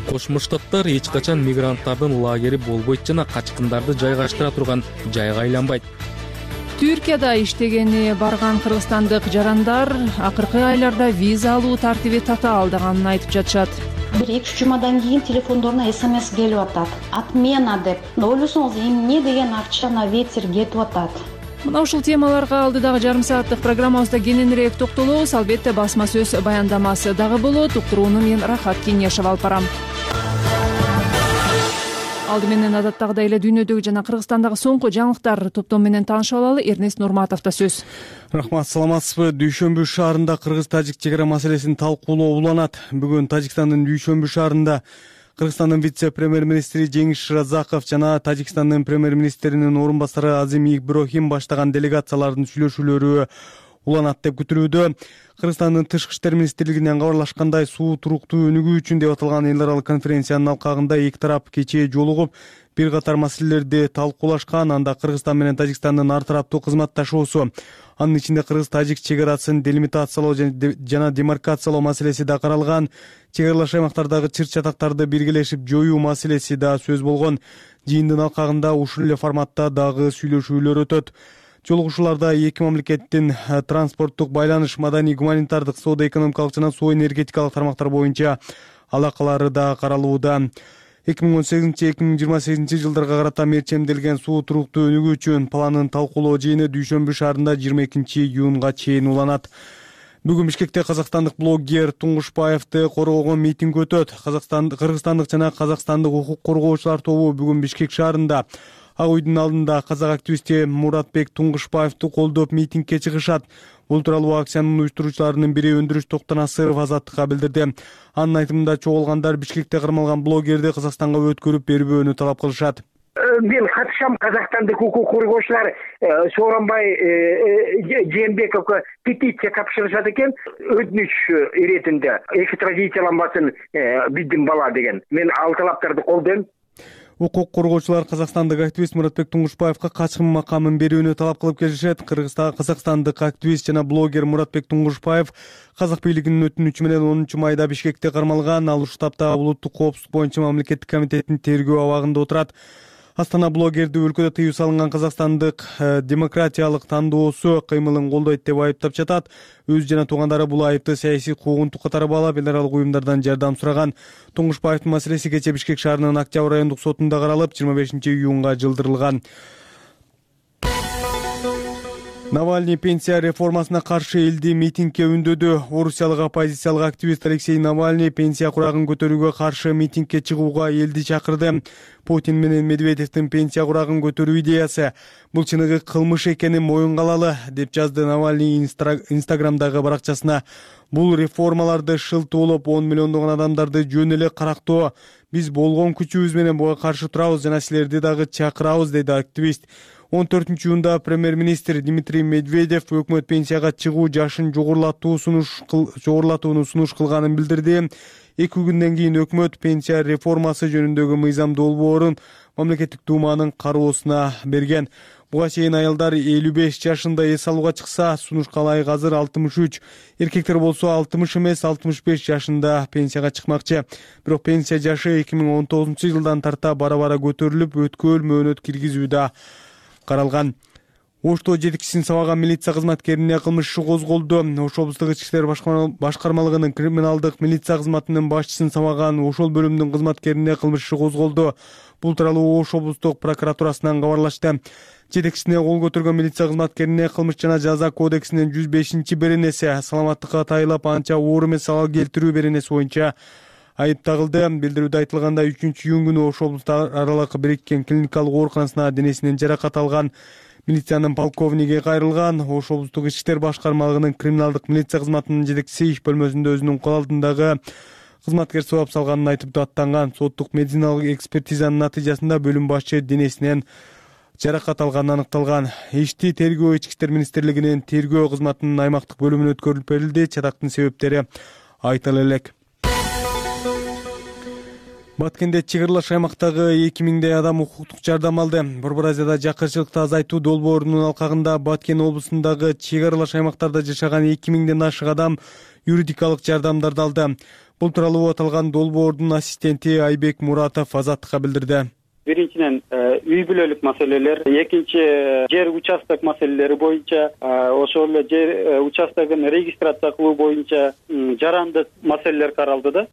Кошмо Штаттар эч качан мигранттардын лагери болбойт жана качкындарды жайгаштыра турган жайга айланбайт. Түркияда иштегени барган кыргызстандык жарандар акыркы айларда виза алуу тартиби татаалдаганын айтып жатышат. Бир эки үч жумадан кийин телефондоруна смс келип атат. Отмена деп. Ойлосоңуз эмне деген акча на ветер кетип атат. Мына ушул темаларга алдыдагы жарым сааттык программабызда кененирээк токтолобуз. Албетте басма сөз баяндамасы дагы болот. Уктурууну мен Рахат Кеңешова алып барам. Алды менен адаттагыдай эле дүйнөдөгү жана Кыргызстандагы соңку жаңылыктар топтом менен таанышып алалы. Эрнест Нурматовдо сөз. Рахмат, саламатсызбы? Дүйшөмбү шаарында кыргыз-тажик чек ара маселесин талкуулоо уланат. Бүгүн Тажикстандын Дүйшөмбү шаарында Кыргызстандын вице-премьер-министри Жеңиш Шыразаков жана Тажикстандын премьер-министринин орун басары Азим Иброхим баштаган делегациялардын сүйлөшүүлөрү уланат деп күтүлүүдө. Кыргызстандын тышкы иштер министрлигинен кабарлашкандай, суу туруктуу өнүгүү үчүн деп аталган эл аралык конференциянын алкагында эки тарап кечээ жолугуп, бир катар маселелерди талкуулашкан. Анда Кыргызстан менен Тажикстандын ар тараптуу кызматташуусу, анын ичинде кыргыз-тажик чек арасын делимитациялоо жана демаркациялоо маселеси да каралган. Чек аралаш аймактардагы чыр-чатактарды биргелешип жоюу маселеси да сөз болгон. Жыйындын алкагында ушул эле форматта дагы сүйлөшүүлөр өтөт. Жолугушууларда эки мамлекеттин транспорттук байланыш, маданий, гуманитардык, соода-экономикалык жана суу энергетикалык тармактар боюнча алакалары да каралууда. эки миң он сегизинчи эки миң жыйырма сегизинчи жылдарга карата мерчемделген суу туруктуу өнүгүү үчүн планын талкуулоо жыйыны Дүйшөмбү шаарында жыйырма экинчи июнга чейин уланат. Бүгүн Бишкекте казакстандык блогер Туңгушбаевди коргогон митинг өтөт. Кыргызстандык жана казакстандык укук коргоочулар тобу бүгүн Бишкек шаарында Ак үйдүн алдында казак активисти Муратбек Туңгушбаевди колдоп митингке чыгышат. Бул тууралуу акциянын уюштуруучуларынын бири Өндүрүш Токтонасыров Азаттыкка билдирди. Анын айтымында чогулгандар Бишкекте кармалган блогерди Казакстанга өткөрүп бербөөнү талап кылышат. Мен катышам, казакстандык укук коргоочулар Сооронбай Жээнбековго петиция тапшырышат экен, өтүнүч иретинде экстрадицияланбасын биздин бала деген. Мен ал талаптарды колдойм. Укук коргоочулар казакстандык активист Муратбек Туңгушбаевга качкын макамын берүүнү талап кылып келишет. Казакстандык активист жана блогер Муратбек Туңгушбаев казак бийлигинин өтүнүчү менен онунчу майда Бишкекте кармалган. Ал ушул тапта улуттук коопсуздук боюнча мамлекеттик комитеттин тергөө абагында отурат. Астана блогерди өлкөдө тыюу салынган Казакстандык демократиялык тандоосу кыймылын колдойт деп айыптап жатат. Өзү жана туугандары бул айыпты саясий куугунтук катары баалап, эл аралык уюмдардан жардам сураган. Туңгушбаевдин маселеси кечээ Бишкек шаарынын Октябрь райондук сотунда каралып, жыйырма бешинчи июнга жылдырылган. Навальный пенсия реформасына каршы элди митингке үндөдү. Орусиялык оппозициялык активист Алексей Навальный пенсия курагын көтөрүүгө каршы митингке чыгууга элди чакырды. Путин менен Медведевдин пенсия курагын көтөрүү идеясы бул чыныгы кылмыш экенин моюнга алалы, деп жазды Навальный Инстаграмдагы баракчасына. Бул реформаларды шылтуулап он миллиондогон адамдарды жөн эле карактоо. Биз болгон күчүбүз менен буга каршы турабыз жана силерди дагы чакырабыз, деди активист. он төртүнчү июнда премьер-министр Дмитрий Медведев өкмөт пенсияга чыгуу жашын жогорулатуу сунуш жогорулатууну сунуш кылганын билдирди. Эки күндөн кийин өкмөт пенсия реформасы жөнүндөгү мыйзам долбоорун мамлекеттик дууманын кароосуна берген. Буга чейин аялдар элүү беш жашында эс алууга чыкса, сунуш калайык азыр алтымыш үч, эркектер болсо алтымыш эмес алтымыш беш жашында пенсияга чыкмакчы. Бирок пенсия жашы эки миң он тогузунчу жылдан тарта бара-бара көтөрүлүп, өткөл мөөнөт киргизүү да каралган. Ошто жетекчисин сабаган милиция кызматкерине кылмыш иши козголду. Ош облустук ички иштер башкармалыгынын криминалдык милиция кызматынын башчысын сабаган ошол бөлүмдүн кызматкерине кылмыш иши козголду. Бул тууралуу Ош облустук прокуратурасынан кабарлашты. Жетекчисине кол көтөргөн милиция кызматкерине кылмыш жана жаза кодексинин жүз бешинчи беренеси саламаттыкка тайылап анча оор эмес залал келтирүү беренеси боюнча айып тагылды. Билдирүүдө айтылгандай, үчүнчү июнь күнү Ош облусту аралык бириккен клиникалык ооруканасына денесинен жаракат алган милициянын полковниги кайрылган. Ош облустук ички иштер башкармалыгынын криминалдык милиция кызматынын жетекчиси иш бөлмөсүндө өзүнүн кол алдындагы кызматкер сабап салганын айтып аттанган. Соттук медициналык экспертизанын натыйжасында бөлүм башчы денесинен жаракат алганы аныкталган. Ишти тергөө ички иштер министрлигинин тергөө кызматынын аймактык бөлүмүнө өткөрүлүп берилди. Чатактын себептери айтыла элек. Баткенде чек аралаш аймактагы эки миңдей адам укуктук жардам алды. Борбор Азияда жакырчылыкты азайтуу долбоорунун алкагында Баткен облусундагы чек аралаш аймактарда жашаган эки миңден ашык адам юридикалык жардамдарды алды. Бул тууралуу аталган долбоордун ассистенти Айбек Муратов Азаттыкка билдирди. Биринчиден үй бүлөлүк маселелер, экинчи жер участок маселелери боюнча, ошол эле жер участогун регистрация кылуу боюнча жарандык маселелер каралды да.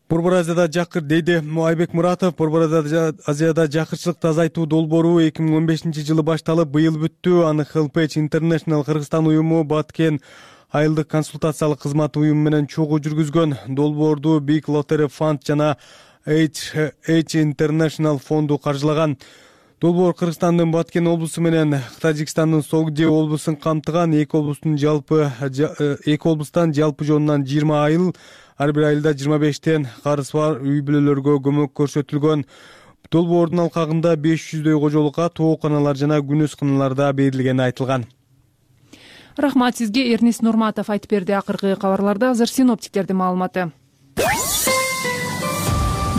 Борбор Азияда жакыр дейди Айбек Муратов. Борбор Азияда жакырчылыкты азайтуу долбоору эки миң он бешинчи жылы башталып, быйыл бүттү. Аны Helpage International Кыргызстан уюму, Баткен айылдык консультациялык кызмат уюму менен чогуу жүргүзгөн. Долбоорду Big Lottery Fund жана H International фонду каржылаган. Долбоор Кыргызстандын Баткен облусу менен Тажикстандын Согди облусун камтыган. Эки облустун жалпы эки облустан жалпы жонунан жыйырма айыл, ар бир айылда жыйырма бештен карызы бар үй бүлөлөргө көмөк көрсөтүлгөн. Долбоордун алкагында беш жүздөй кожолукка тооканалар жана күнөз каналар да берилгени айтылган. Рахмат сизге, Эрнис Нурматов айтып берди. Акыркы кабарларда азыр синоптиктердин маалыматы.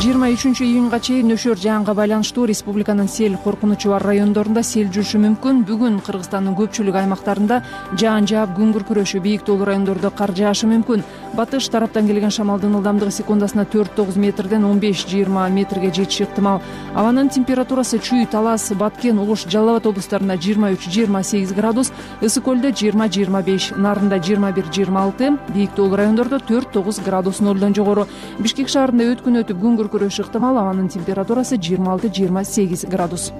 жыйырма үчүнчү июнга чейин нөшөр жаанга байланыштуу республиканын сел коркунучу бар райондорунда сел жүрүшү мүмкүн. Бүгүн Кыргызстандын көпчүлүк аймактарында жаан жаап, күн күркүрөшү, бийик тоолуу райондордо кар жаашы мүмкүн. Батыш тараптан келген шамалдын ылдамдыгы секундасына төрт тогуз метрден он беш жыйырма метрге жетиши ыктымал. Абанын температурасы Чүй, Талас, Баткен, Ош, Жалал Абад облустарында жыйырма үч жыйырма сегиз градус, Ысык көлдө жыйырма жыйырма беш, Нарында жыйырма бир жыйырма алты, бийик тоолуу райондордо төрт тогуз градус нолдон жогору. Бишкек шаарында өткүн өтүп күн күркүрөшү ыктымал. Абанын температурасы жыйырма алты жыйырма сегиз градус.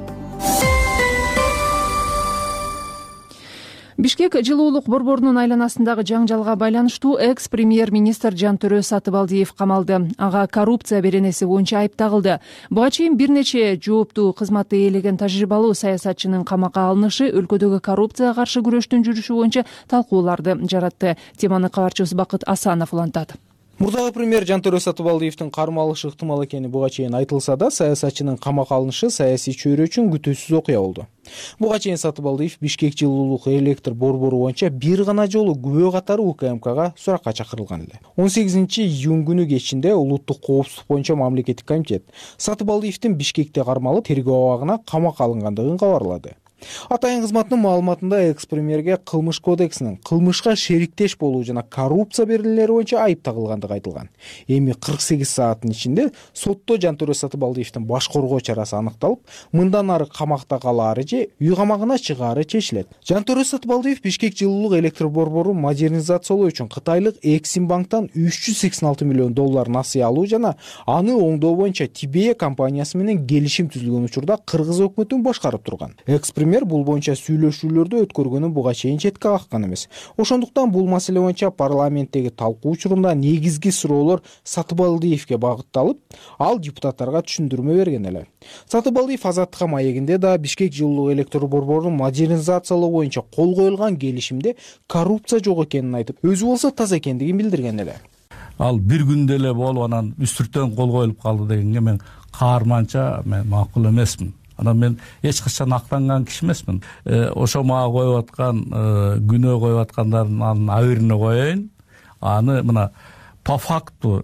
Бишкек жылуулук борборунун айланасындагы жаңжалга байланыштуу экс-премьер-министр Жантөрө Сатыбалдиев камалды. Ага коррупция беренеси боюнча айып тагылды. Буга чейин бир нече жооптуу кызматты ээлеген тажрыйбалуу саясатчынын камакка алынышы өлкөдөгү коррупцияга каршы күрөштүн жүрүшү боюнча талкууларды жаратты. Теманы кабарчыбыз Бакыт Асанов улантат. Мурдагы премьер Жантөрө Сатыбалдиевдин кармалышы ыктымал экени буга чейин айтылса да, саясатчынын камакка алынышы саясий чөйрө үчүн күтүүсүз окуя болду. Буга чейин Сатыбалдиев Бишкек жылуулук электр борбору боюнча бир гана жолу күбө катары У К М Кга суракка чакырылган эле. он сегизинчи июнь күнү кечинде улуттук коопсуздук боюнча мамлекеттик комитет Сатыбалдиевдин Бишкекте кармалып тергөө абагына камакка алынгандыгын кабарлады. Атайын кызматтын маалыматында экс-премьерге кылмыш кодексинин кылмышка шериктеш болуу жана коррупция берилери боюнча айып тагылгандыгы айтылган. Эми кырк сегиз сааттын ичинде сотто Жантөрө Сатыбалдиевдин баш коргоо чарасы аныкталып, мындан ары камакта калаары же үй камагына чыгаары чечилет. Жантөрө Сатыбалдиев Бишкек жылуулук электр борборун модернизациялоо үчүн кытайлык Эксимбанктан үч жүз сексен алты миллион доллар насыя алуу жана аны оңдоо боюнча Тибея компаниясы менен келишим түзүлгөн учурда кыргыз өкмөтүн башкарып турган. Экс-премьер бул боюнча сүйлөшүүлөрдө өткөргөнүн буга чейин четке каккан эмес. Ошондуктан бул маселе боюнча парламенттеги талкуу учурунда негизги суроолор Сатыбалдиевге багытталып, ал депутаттарга түшүндүрмө берген эле. Сатыбалдиев Азаттыкка маегинде да Бишкек жылуулук электр борборун модернизациялоо боюнча кол коюлган келишимде коррупция жок экенин айтып, өзү болсо таза экендигин билдирген эле. Ал бир күндө эле болуп анан үстүртөн кол коюлуп калды дегенге мен каарманча мен макул эмесмин. анан мен эч качан актанган киши эмесмин. Ошо мага коюп аткан күнөө коюп аткандардын абирине коеюн. Аны мына по факту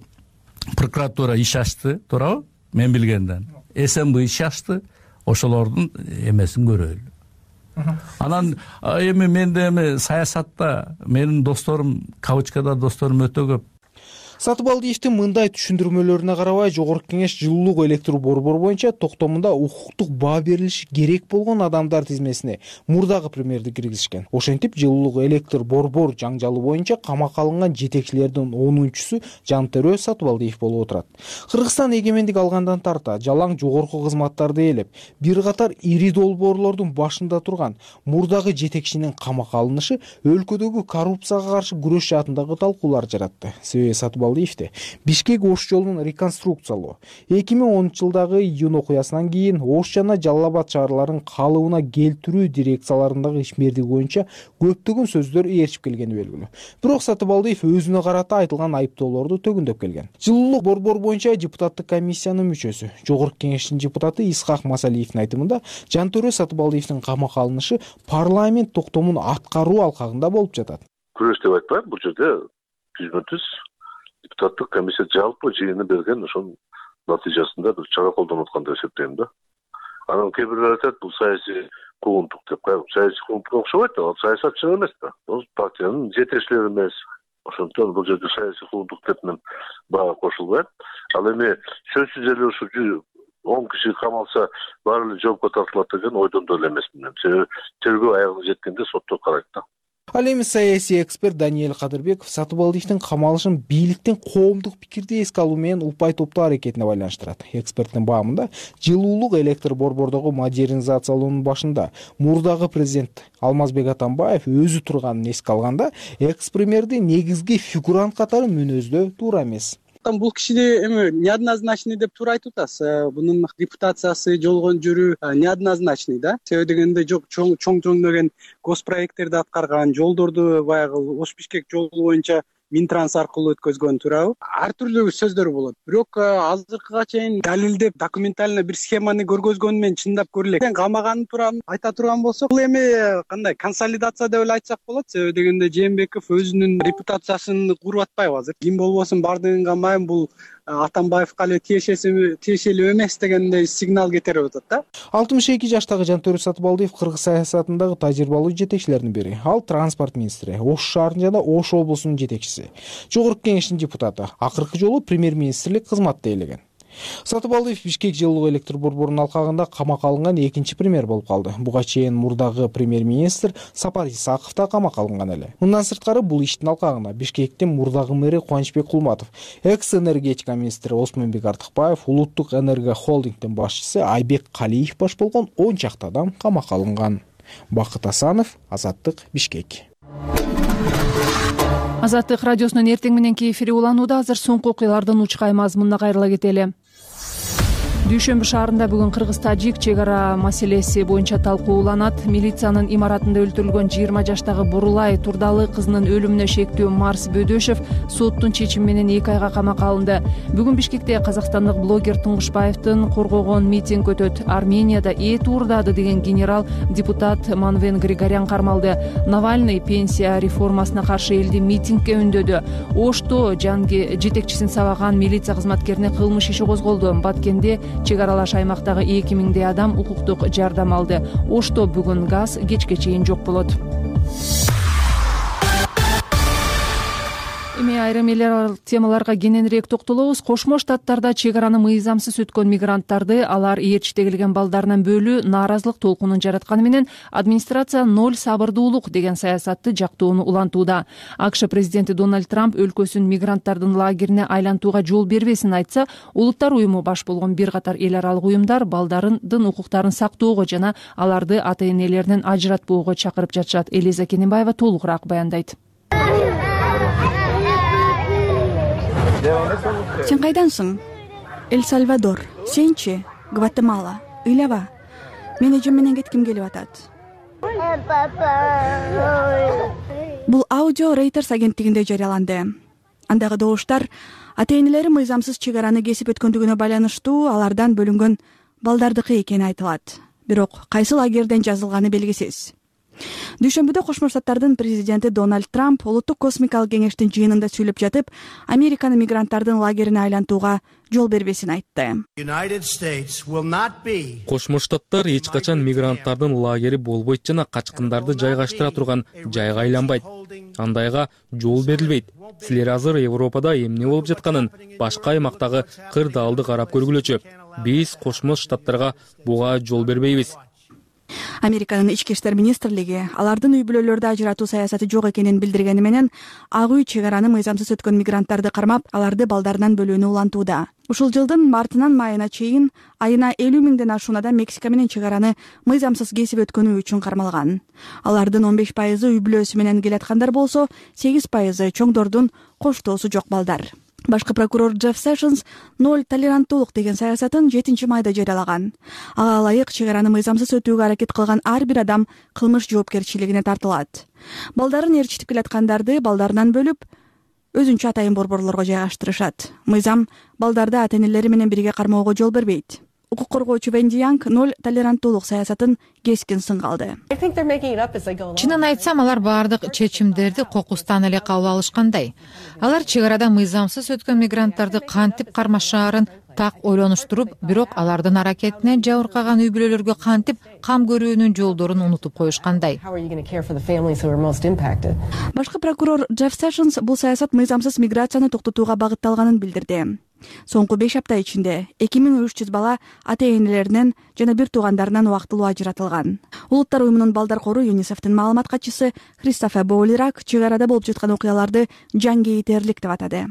прокуратура иш ачты, туурабы? Мен билгенден. СМБ иш ачты, ошолордун эмесин көрөлү. Анан эми менде эми саясатта менин досторум, кавычкада досторум өтө көп. Сатыбалдиевдин мындай түшүндүрмөлөрүнө карабай, Жогорку Кеңеш жылуулук электр борбору боюнча токтомунда укуктук баа берилиши керек болгон адамдар тизмесине мурдагы премьерди киргизишкен. Ошентип, жылуулук электр борбор жаңжалы боюнча камакка алынган жетекчилердин онунчусу Жантөрө Сатыбалдиев болуп отурат. Кыргызстан эгемендик алгандан тарта жалаң жогорку кызматтарды ээлеп, бир катар ири долбоорлордун башында турган мурдагы жетекчинин камакка алынышы өлкөдөгү коррупцияга каршы күрөш жаатындагы талкуулар жаратты. Себеби Сатыбалдиев Бишкек Ош жолунун реконструкциялоо, эки миң онунчу жылдагы июнь окуясынан кийин Ош жана Жалал Абад шаарларын калыбына келтирүү дирекцияларындагы ишмердиги боюнча көптөгөн сөздөр ээрчип келгени белгилүү. Бирок Сатыбалдиев өзүнө карата айтылган айыптоолорду төгүндөп келген. Жылуулук борбор боюнча депутаттык комиссиянын мүчөсү, Жогорку Кеңештин депутаты Исхак Масалиевдин айтымында, Жантөрө Сатыбалдиевдин камакка алынышы парламент токтомун аткаруу алкагында болуп жатат. Күрөш деп айтпайм, бул жерде жүзмө жүз депутаттык комиссия жалпы жыйыны берген ошонун натыйжасында бир чара колдонуп аткан деп эсептейм да. Анан кээ бирлер айтат, бул саясий куугунтук деп. Саясий куугунтукка окшобойт да, ал саясатчы эмес да. Ал партиянын жетекчилери эмес. Ошондон бул жерде саясий куугунтук деп мен бага кошулбайм. Ал эми сөзсүз эле ушу он киши камалса баары эле жоопко тартылат деген ойдон да эле эмесмин мен. Себеби тергөө аягына жеткенде сотто карайт да. Ал эми саясий эксперт Даниэль Кадырбеков Сатыбалдиевдин камалышын бийликтин коомдук пикирди эске алуу менен упай топтоо аракетине байланыштырат. Эксперттин баамында, жылуулук электр борбордогу модернизациялоонун башында мурдагы президент Алмазбек Атамбаев өзү турганын эске алганда, экс-премьерди негизги фигурант катары мүнөздөө туура эмес. Бул кишиди эми неоднозначный деп туура айтып атасыз. Бунун репутациясы, жолгон жүрүү неоднозначный да. Себеби дегенде жок чоң чоң деген госпроекттерди аткарган, жолдорду баягы Ош-Бишкек жолу боюнча Минтранс аркылуу өткөзгөн, туурабы? Ар түрлүү сөздөр болот. Бирок азыркыга чейин далилдеп, документально бир схеманы көргөзгөнү менен чындап көрүлөт. Камаганы турам айта турган болсок, бул эми кандай консолидация деп эле айтсак болот. Себеби дегенде Жээнбеков өзүнүн репутациясын куруп атпайбы азыр? Ким болбосун бардыгын камайм, бул Атамбаевка эле тиешелүү эмес дегендей сигнал кетирип атат да. алтымыш эки жаштагы Жантөрө Сатыбалдиев кыргыз саясатындагы тажрыйбалуу жетекчилердин бири. Ал транспорт министри, Ош шаарынын жана Ош облусунун жетекчиси. Жогорку Кеңештин депутаты, акыркы жолу премьер-министрлик кызматты ээлеген. Сатыбалдиев Бишкек жылуулук электр борборунун алкагында камакка алынган экинчи премьер болуп калды. Буга чейин мурдагы премьер-министр Сапар Исаков да камакка алынган эле. Мындан сырткары бул иштин алкагында Бишкектин мурдагы мэри Кубанычбек Кулматов, экс-энергетика министри Осмонбек Артыкбаев, улуттук энерго холдингдин башчысы Айбек Калиев баш болгон он чакты адам камакка алынган. Бакыт Асанов, Азаттык, Бишкек. Азаттык радиосунун эртең мененки эфири уланууда. Азыр соңку окуялардын учкай мазмунуна кайрыла кетели. Дүйшөмбү шаарында бүгүн кыргыз-тажик чек ара маселеси боюнча талкуу уланат. Милициянын имаратында өлтүрүлгөн жыйырма жаштагы Бурулай Турдалы кызынын өлүмүнө шектүү Марс Бөдөшев соттун чечими менен эки айга камакка алынды. Бүгүн Бишкекте казакстандык блогер Туңгушбаевдин коргогон митинг өтөт. Арменияда эт уурдады деген генерал депутат Манвен Григорян кармалды. Навальный пенсия реформасына каршы элди митингге үндөдү. Ошто жанги жетекчисин сабаган милиция кызматкерине кылмыш иши козголду. Баткенде чек аралаш аймактагы эки миңдей адам укуктук жардам алды. Ошто бүгүн газ кечке чейин жок болот. Эми айрым эл темаларга кененирээк токтолобуз. Кошмо Штаттарда чек араны мыйзамсыз өткөн мигранттарды алар ээрчите келген балдарынан бөлүү нааразылык толкунун жаратканы менен администрация ноль сабырдуулук деген саясатты жактоону улантууда. АКШ президенти Дональд Трамп өлкөсүн мигранттардын лагерине айлантууга жол бербесин айтса, улуттар уюму баш болгон бир катар эл аралык уюмдар балдардын укуктарын сактоого жана аларды ата-энелеринен ажыратпоого чакырып жатышат. Элиза Кененбаева толугураак баяндайт. Сен кайдансың? Эль-Сальвадор. Сенчи? Гватемала. Ыйлаба. Мен эжем менен кетким келип атат. Бул аудио Reuters агенттигинде жарыяланды. Андагы добуштар ата-энелери мыйзамсыз чек араны кесип өткөндүгүнө байланыштуу алардан бөлүнгөн балдардыкы экени айтылат. Бирок кайсы лагерден жазылганы белгисиз. Дүйшөмбүдө Кошмо Штаттардын президенти Дональд Трамп улуттук космикалык кеңештин жыйынында сүйлөп жатып, Американы мигранттардын лагерине айлантууга жол бербесин айтты. Кошмо Штаттар эч качан мигранттардын лагери болбойт жана качкындарды жайгаштыра турган жайга айланбайт. Андайга жол берилбейт. Силер азыр Европада эмне болуп жатканын башка аймактагы кырдаалды карап көргүлөчү. Биз Кошмо Штаттарга буга жол бербейбиз. Американын ички иштер министрлиги алардын үй бүлөлөрдү ажыратуу саясаты жок экенин билдиргени менен, ак үй чек араны мыйзамсыз өткөн мигранттарды кармап, аларды балдарынан бөлүүнү улантууда. Ушул жылдын мартынан майына чейин айына элүү миңден ашуун адам Мексика менен чек араны мыйзамсыз кесип өткөнү үчүн кармалган. Алардын он беш пайызы үй бүлөсү менен келаткандар болсо, сегиз пайызы чоңдордун коштоосу жок балдар. Башкы прокурор Джефф Сэшнс ноль толеранттуулук деген саясатын жетинчи майда жарыялаган. Ага ылайык чек араны мыйзамсыз өтүүгө аракет кылган ар бир адам кылмыш жоопкерчилигине тартылат. Балдарын ээрчитип келаткандарды балдарынан бөлүп, өзүнчө атайын борборлорго жайгаштырышат. Мыйзам балдарды ата-энелери менен бирге кармоого жол бербейт. Укук коргоочу Венди Янг ноль толеранттуулук саясатын кескин сынга алды. Чынын айтсам, алар баардык чечимдерди кокустан эле кабыл алышкандай. Алар чек арада мыйзамсыз өткөн мигранттарды кантип кармашаарын так ойлонуштуруп, бирок алардын аракетине жабыркаган үй бүлөлөргө кантип кам көрүүнүн жолдорун унутуп коюшкандай. Башкы прокурор Джефф Сэшнс бул саясат мыйзамсыз миграцияны токтотууга багытталганын билдирди. Соңку беш апта ичинде эки миң үч жүз бала ата-энелеринен жана бир туугандарынан убактылуу ажыратылган. Улуттар уюмунун балдар кору ЮНИСЕФтин маалымат катчысы Кристофер Боулирак чек арада болуп жаткан окуяларды жангейтерлик деп атады.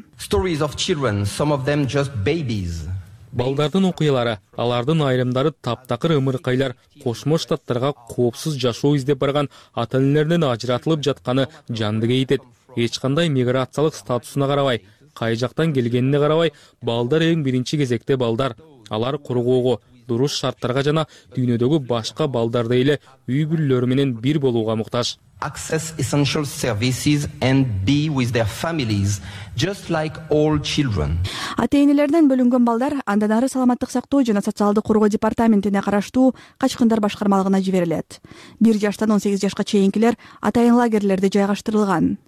Балдардын окуялары, алардын айрымдары таптакыр ымыркайлар Кошмо Штаттарга коопсуз жашоо издеп барган ата-энелеринен ажыратылып жатканы жанды кейтет. Эч кандай миграциялык статусуна карабай, кай жактан келгенине карабай, балдар эң биринчи кезекте балдар. Алар кургоого, дуруш шарттарга жана дүйнөдөгү башка балдардай эле үй бүлөлөрү менен бир болууга муктаж. Access essential services and be with their families just like all children. Ата-энелерден бөлүнгөн балдар андан ары саламаттык сактоо жана социалдык коргоо департаментине караштуу качкындар башкармалыгына жиберилет. бир жаштан он сегиз жашка чейинкилер атайын лагерлерде жайгаштырылган.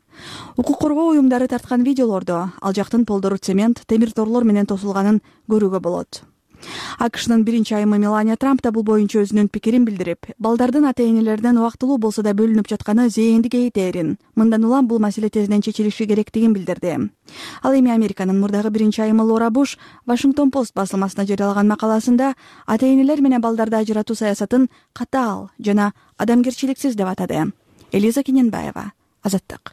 Укук коргоо уюмдары тарткан видеолордо ал жактын полдору цемент, темир торлор менен тосулганын көрүүгө болот. АКШнын биринчи айымы Мелания Трамп да бул боюнча өзүнүн пикирин билдирип, балдардын ата-энелеринен убактылуу болсо да бөлүнүп жатканы зээнди кейтерин, мындан улам бул маселе тезинен чечилиши керектигин билдирди. Ал эми Американын мурдагы биринчи айымы Лора Буш Вашингтон Пост басылмасына жарыялаган макаласында ата-энелер менен балдарды ажыратуу саясатын катаал жана адамгерчиликсиз деп атады. Элиза Кененбаева, Азаттык.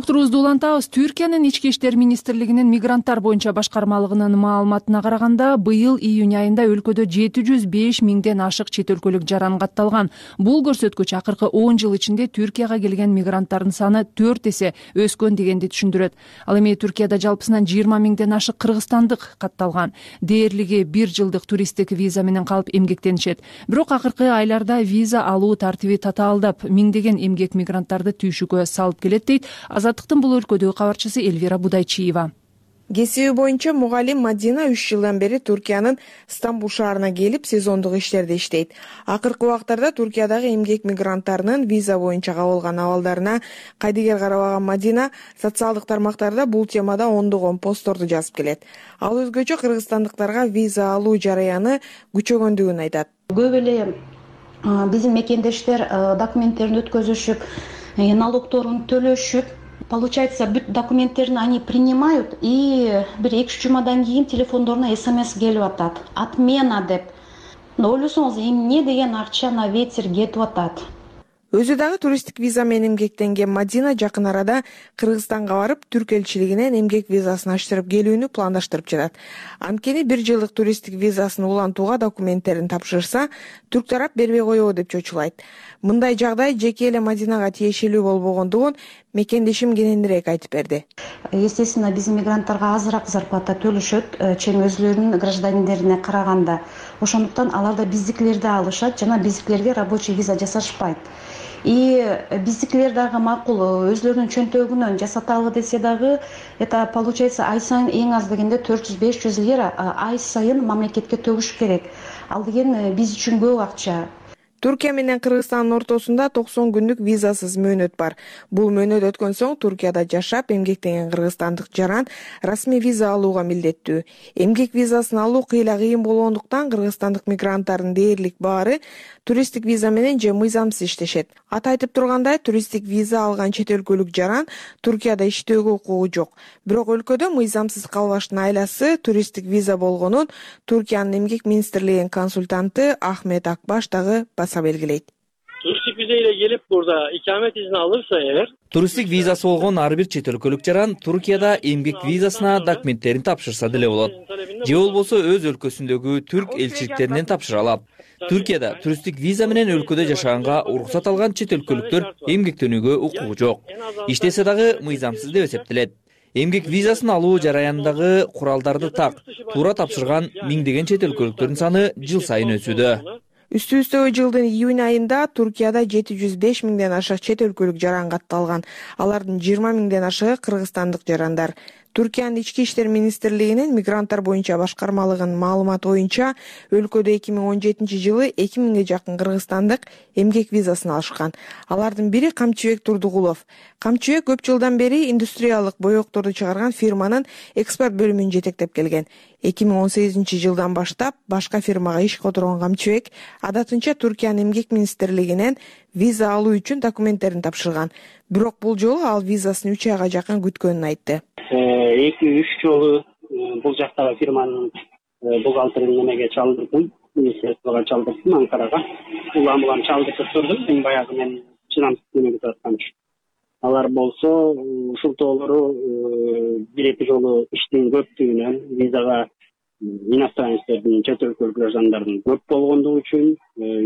Уктуруубузду улантабыз. Түркиянын ички иштер министрлигинин мигранттар боюнча башкармалыгынын маалыматына караганда, быйыл июнь айында өлкөдө жети жүз беш миңден ашык чет өлкөлүк жаран катталган. Бул көрсөткүч акыркы он жыл ичинде Түркияга келген мигранттардын саны төрт эсе өскөн дегенди түшүндүрөт. Ал эми Түркияда жалпысынан жыйырма миңден ашык кыргызстандык катталган. Дээрлиги бир жылдык туристтик виза менен калып эмгектенишет. Бирок акыркы айларда виза алуу тартиби татаалдап, миңдеген эмгек мигранттарды түйшүккө салып келет дейт Азаттыктын бул өлкөдөгү кабарчысы Эльвира Будайчиева. Кесиби боюнча мугалим Мадина үч жылдан бери Түркиянын Стамбул шаарына келип сезондук иштерде иштейт. Акыркы убактарда Түркиядагы эмгек мигранттарынын виза боюнча кабылган абалдарына кайдыгер карабаган Мадина социалдык тармактарда бул темада ондогон постторду жазып келет. Ал өзгөчө кыргызстандыктарга виза алуу жараяны күчөгөндүгүн айтат. Көп эле биздин мекендештер документтерин өткөзүшүп, налогторун төлөшүп, получается, бүт документтерин они принимают, и бир эки үч жумадан кийин телефондоруна смс келип атат. Отмена деп. Ойлосоңуз, эмне деген акча на ветер кетип атат. Өзү дагы туристтик виза менен эмгектенген Мадина жакын арада Кыргызстанга барып, түрк элчилигинен эмгек визасын аштырып келүүнү пландаштырып жатат. Анткени бир жылдык туристтик визасын улантууга документтерин тапшырса, түрк тарап бербей коебу деп чочулайт. Мындай жагдай жеке эле Мадинага тиешелүү болбогондугун мекендешим кененирээк айтып берди. Естественно, биздин мигранттарга азыраак зарплата төлөшөт, чейин өзүлөрүнүн граждандерине караганда. Ошондуктан алар да биздикилерди алышат жана биздикилерге рабочий виза жасашпайт. и биздикилер дагы макул өзлөрүнүн чөнтөгүнөн жасаталы десе дагы это получается ай сайын эң аз дегенде төрт жүз беш жүз лира ай сайын мамлекетке төгүш керек. Ал деген биз үчүн көп акча. Туркия менен Кыргызстандын ортосунда токсон күндүк визасыз мөөнөт бар. Бул мөөнөт өткөн соң Туркияда жашап эмгектенген кыргызстандык жаран расмий виза алууга милдеттүү. Эмгек визасын алуу кыйла кыйын болгондуктан кыргызстандык мигранттардын дээрлик баары туристтик виза менен же мыйзамсыз иштешет. Аты айтып тургандай, туристтик виза алган чет өлкөлүк жаран Туркияда иштөөгө укугу жок. Бирок өлкөдө мыйзамсыз калбаштын айласы туристтик виза болгонун Туркиянын эмгек министрлигинин консультанты Ахмет Акбаш дагы белгилейт. Туристтик виза ile келип burada ikamet izni alırsa eğer туристтик визасы болгон ар бир чет өлкөлүк жаран Туркияда эмгек визасына документтерин тапшырса деле болот. Же болбосо өз өлкөсүндөгү түрк элчиликтеринен тапшыра алат. Туркияда туристтик виза менен өлкөдө жашаганга уруксат алган чет өлкөлүктөр эмгектенүүгө укугу жок. Иштесе дагы мыйзамсыз деп эсептелет. Эмгек визасын алуу жараянындагы куралдарды так, туура тапшырган миңдеген чет өлкөлүктөрдүн саны жыл сайын өсүүдө. Үстү-үстөгө жылдын июнь айында Туркияда жети жүз беш миңден ашык чет өлкөлүк жаран катталган. Алардын жыйырма миңден ашыгы кыргызстандык жарандар. Туркиянын ички иштер министрлигинин мигранттар боюнча башкармалыгынын маалыматы боюнча өлкөдө эки миң он жетинчи жылы эки миңге жакын кыргызстандык эмгек визасын алышкан. Алардын бири Камчыбек Турдугулов. Камчыбек көп жылдан бери индустриялык боекторду чыгарган фирманын экспорт бөлүмүн жетектеп келген. эки миң он сегизинчи жылдан баштап башка фирмага иш которгон Камчыбек адатынча Туркиянын эмгек министрлигинен виза алуу үчүн документтерин тапшырган. Бирок бул жолу ал визасын үч айга жакын күткөнүн айтты. эки үч жолу бул жактагы фирманын бухгалтерин немеге чалдырдым, министрликке чалдырдым, Анкарага. Улам улам чалдырып турдум, мен баягы мен чынамсыз немеге аткан. Алар болсо ушултоолору бир эки жолу иштин көптүгүнөн визага иностранецтердин чет өлкөлүк жарандардын көп болгондугу үчүн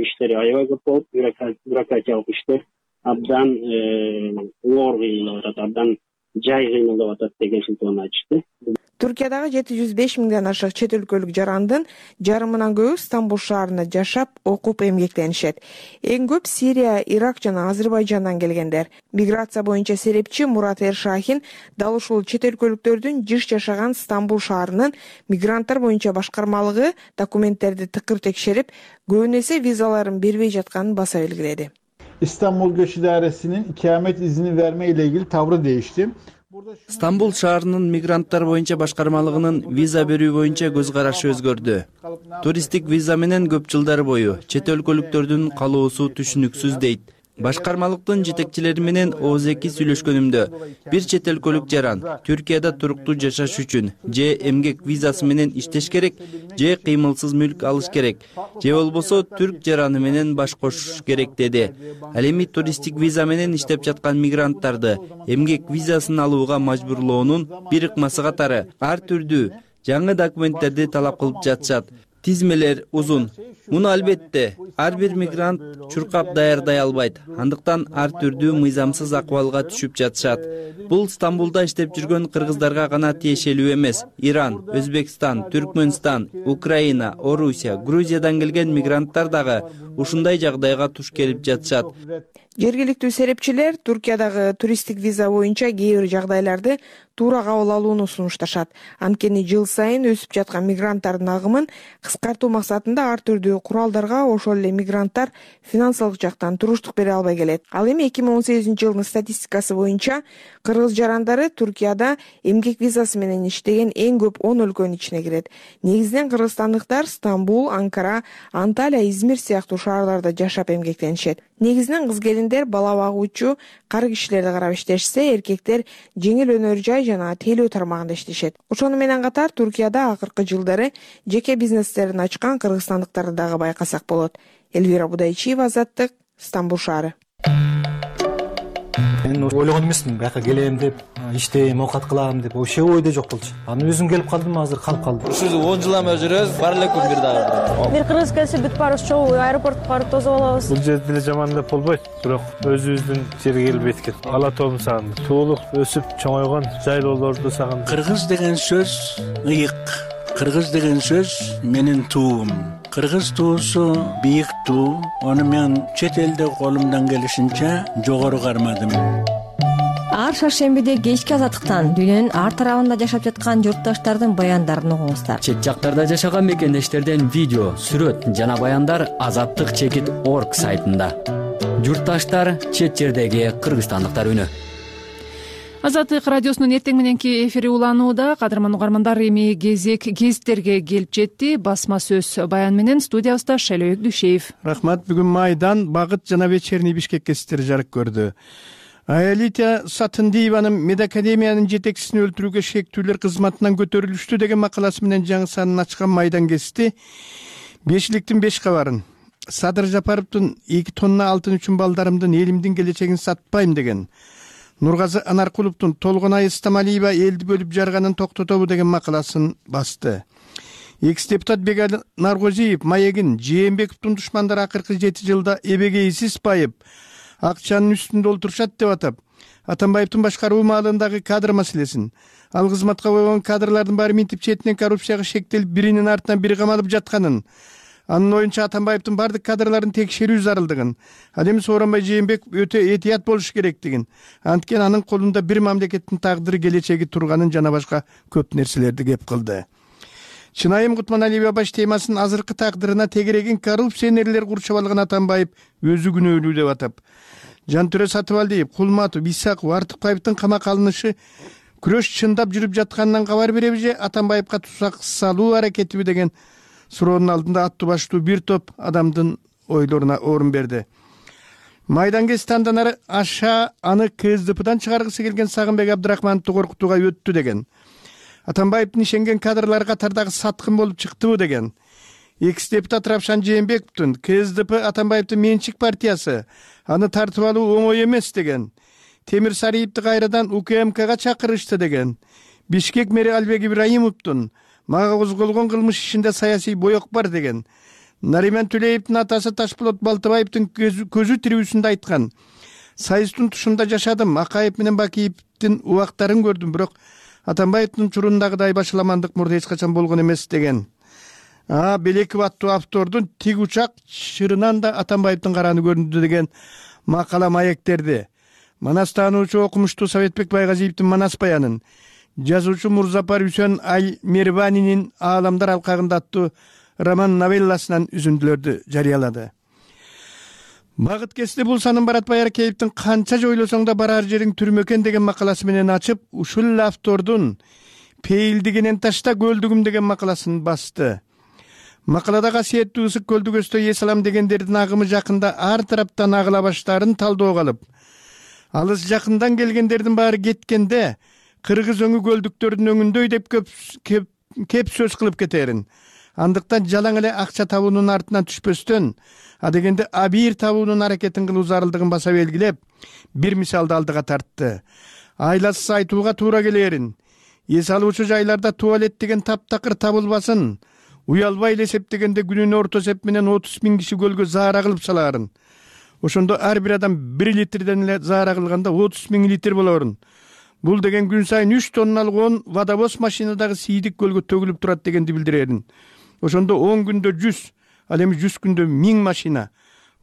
иштери аябай көп болуп, бюрократиялык иштер абдан оор кыйналып атат, абдан жай кыйналып атат деген шылтоону айтышты. Туркиядагы жети жүз беш миңден ашык чет өлкөлүк жарандын жарымынан көбү Стамбул шаарында жашап, окуп эмгектенишет. Эң көп Сирия, Ирак жана Азербайжандан келгендер. Миграция боюнча серепчи Мурат Эршахин дал ушул чет өлкөлүктөрдүн жыш жашаган Стамбул шаарынын мигранттар боюнча башкармалыгы документтерди тыкыр текшерип, көбүн эсе визаларын бербей жатканын баса белгиледи. İstanbul Göç İdaresi'nin ikamet izni verme ile ilgili tavrı değişti. Стамбул шаарынын мигранттар боюнча башкармалыгынын виза берүү боюнча көз карашы өзгөрдү. Туристтик виза менен көп жылдар бою чет өлкөлүктөрдүн калоосу түшүнүксүз дейт. Башкармалыктын жетекчилери менен ооз эки сүйлөшкөнүмдө бир чет өлкөлүк жаран Түркияда туруктуу жашаш үчүн же эмгек визасы менен иштеш керек, же кыймылсыз мүлк алыш керек, же болбосо түрк жараны менен баш кошуш керек деди. Ал эми туристтик виза менен иштеп жаткан мигранттарды эмгек визасын алууга мажбурлоонун бир ыкмасы катары ар түрдүү жаңы документтерди талап кылып жатышат. Тизмелер узун. Муну албетте ар бир мигрант чуркап даярдай албайт. Андыктан ар түрдүү мыйзамсыз акыбалга түшүп жатышат. Бул Стамбулда иштеп жүргөн кыргыздарга гана тиешелүү эмес. Иран, Өзбекстан, Түркмөнстан, Украина, Орусия, Грузиядан келген мигранттар дагы ушундай жагдайга туш келип жатышат. Жергиликтүү серепчилер Туркиядагы туристтик виза боюнча кээ бир жагдайларды туура кабыл алууну сунушташат. Анткени жыл сайын өсүп жаткан мигранттардын агымын кыскартуу максатында ар түрдүү куралдарга ошол эле мигранттар финансылык жактан туруштук бере албай келет. Ал эми эки миң он сегизинчи жылдын статистикасы боюнча кыргыз жарандары Туркияда эмгек визасы менен иштеген эң көп он өлкөнүн ичине кирет. Негизинен кыргызстандыктар Стамбул, Анкара, Анталия, Измир сыяктуу шаарларда жашап эмгектенишет. Негизинен кыз келиндер бала багуучу, кар кишилерди карап иштешсе, эркектер жеңил өнөр жай жана тейлөө тармагында иштешет. Ошону менен катар Туркияда акыркы жылдары жеке бизнестерин ачкан кыргызстандыктарды дагы байкасак болот. Элвира Будайчиева, Азаттык, Стамбул шаары. Мен ойлогон эмесмин, бияка келем деп, иштейм, оокат кылам деп, вообще ойдо жок болчу. Аны өзүм келип калдым, азыр калып калдым. Ушул он жылдан бери жүрөбүз, бар эле күн бир дагы. Бир кыргыз келсе бүт баарыбыз чогуу аэропортко барып тосуп алабыз. Бул жерде деле жаман деп болбойт, бирок өзүбүздүн жерге келип эткет. Ала тоом сагындым. Туулук, өсүп чоңойгон жайлоолорду сагындым. Кыргыз деген сөз ыйык. Кыргыз деген сөз менин туум. кыргыз туусу бийик туу, аны мен чет элде колумдан келишинче жогору кармадым. Ар шаршембиде кечки азаттыктан дүйнөнүн ар тарабында жашап жаткан журтташтардын баяндарын угуңуздар. Чет жактарда жашаган мекендештерден видео, сүрөт жана баяндар азаттык чекит орг сайтында. Журтташтар, чет жердеги кыргызстандыктар үнү. Азаттык радиосунун эртең мененки эфири уланууда. Кадырман угармандар, эми кезек гезиттерге келип жетти. Басма сөз баян менен студиябызда Шайлообек Дүйшеев. Рахмат. Бүгүн Майдан, Багыт жана Вечерний Бишкек гезиттери жарык көрдү. Аялита Сатындиеванын медакадемиянын жетекчисин өлтүрүүгө шектүүлөр кызматынан көтөрүлүштү деген макаласы менен жаңы санын ачкан Майдан гезити бешиликтин беш кабарын. Садыр Жапаровдун эки тонна алтын үчүн балдарымдын, элимдин келечегин сатпайм деген, Нургазы Анаркуловдун Толгонай Стамалиева элди бөлүп жарганын токтотобу деген макаласын басты. Экс депутат Бегали Наргозиев Маегин Жээнбековдун душмандары акыркы жети жылда эбегейсиз байып, акчанын үстүндө олтурушат деп атап, Атамбаевдин башкаруу маалындагы кадр маселесин, ал кызматка койгон кадрлардын баары минтип четинен коррупцияга шектелип, биринин артынан бири камалып жатканын, анын оюнча Атамбаевдин бардык кадрларын текшерүү зарылдыгын, ал эми Сооронбай Жээнбеков өтө этият болуш керектигин, анткени анын колунда бир мамлекеттин тагдыры, келечеги турганын жана башка көп нерселерди кеп кылды. Чынайым Кутманалиева баш темасын азыркы тагдырына тегерегин коррупционерлер курчап алган Атамбаев өзү күнөөлүү деп атап, Жантүрө Сатыбалдиев, Кулматов, Исаков, Артыкбаевдин камакка алынышы күрөш чындап жүрүп жатканынан кабар береби же Атамбаевка тузак салуу аракетиби деген суроонун алдында аттуу баштуу бир топ адамдын ойлоруна орун берди. Майдан гезитандан ары аша аны КСДПдан чыгаргысы келген Сагынбек Абдрахмановду коркутууга өттү деген, Атамбаевдин ишенген кадрлар катардагы саткын болуп чыктыбы деген, экс депутат Равшан Жээнбековдун КСДП Атамбаевдин менчик партиясы, аны тартып алуу оңой эмес деген, Темир Сариевди кайрадан УКМКга чакырышты деген, Бишкек мэри Албек Ибраимовдун мага козголгон кылмыш ишинде саясий боек бар деген, Нариман Түлеевдин атасы Ташполот Балтыбаевдин көзү тирүүсүндө айткан, Сайыстын тушунда жашадым, Акаев менен Бакиевдин убактарын көрдүм, бирок Атамбаевдин чурундагыдай башаламандык мурда эч качан болгон эмес деген. А Белеков аттуу автордун Тиг учак чырынан да Атамбаевдин караны көрүндү деген макала маектерди. Манас таануучу окумуштуу Советбек Байгазиевдин Манас баянын, жазуучу Мурзапар Үсөн Аймерванинин Ааламдар алкагында аттуу роман новелласынан үзүндүлөрдү жарыялады. Багыт гезити бул санын Барат Байаркеевдин канча жойлосоң да барар жериң түрмө экен деген макаласы менен ачып, ушул автордун Пейилдигенен ташта көлдүгүм деген макаласын басты. Макалада касиеттүү ысык көлдүгөстө эсалам дегендердин агымы жакында ар тараптан агыла баштаарын талдоого алып, алыс жакындан келгендердин баары кеткенде кыргыз өңү көлдүктөрдүн өңүндөй деп көп кеп, кеп сөз кылып кетерин. Андыктан жалаң эле акча табуунун артынан түшпөстөн, адегенде абийир табуунун аракетин кылуу зарылдыгын баса белгилеп, бир мисалды алдыга тартты. Айласыз айтууга туура келерин, эс алуучу жайларда туалет деген таптакыр табылбасын, уялбай эле эсептегенде күнүнө орто эсеп менен отуз миң киши көлгө заара кылып салаарын. Ошондо ар бир адам бир литрден эле заара кылганда отуз миң литр болорун. Бул деген күн сайын үч тонналык он водовоз машинадагы сийдик көлгө төгүлүп турат дегенди билдирерин. Ошондо он күндө жүз, ал эми жүз күндө миң машина.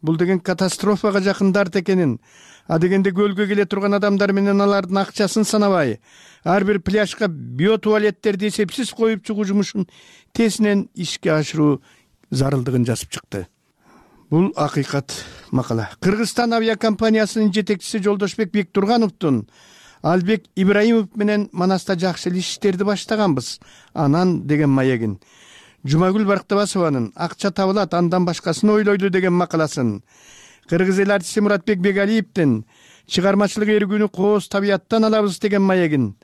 Бул деген катастрофага жакындар экенин, а дегенде көлгө келе турган адамдар менен алардын акчасын санабай, ар бир пляжга биотуалеттерди эсепсиз коюп чыгуу жумушун тезинен ишке ашыруу зарылдыгын жазып чыкты. Бул акыйкат макала. Кыргызстан авиакомпаниясынын жетекчиси Жолдошбек Бектургановдун Албек Ибраимов менен Манаста жакшы иштерди баштаганбыз, анан деген маегин, Жумагүл Барктабасованын акча табылат, андан башкасын ойлойду деген макаласын, кыргыз эл артисти Муратбек Бегалиевдин чыгармачылык эргүүнү кооз табияттан алабыз деген маегин,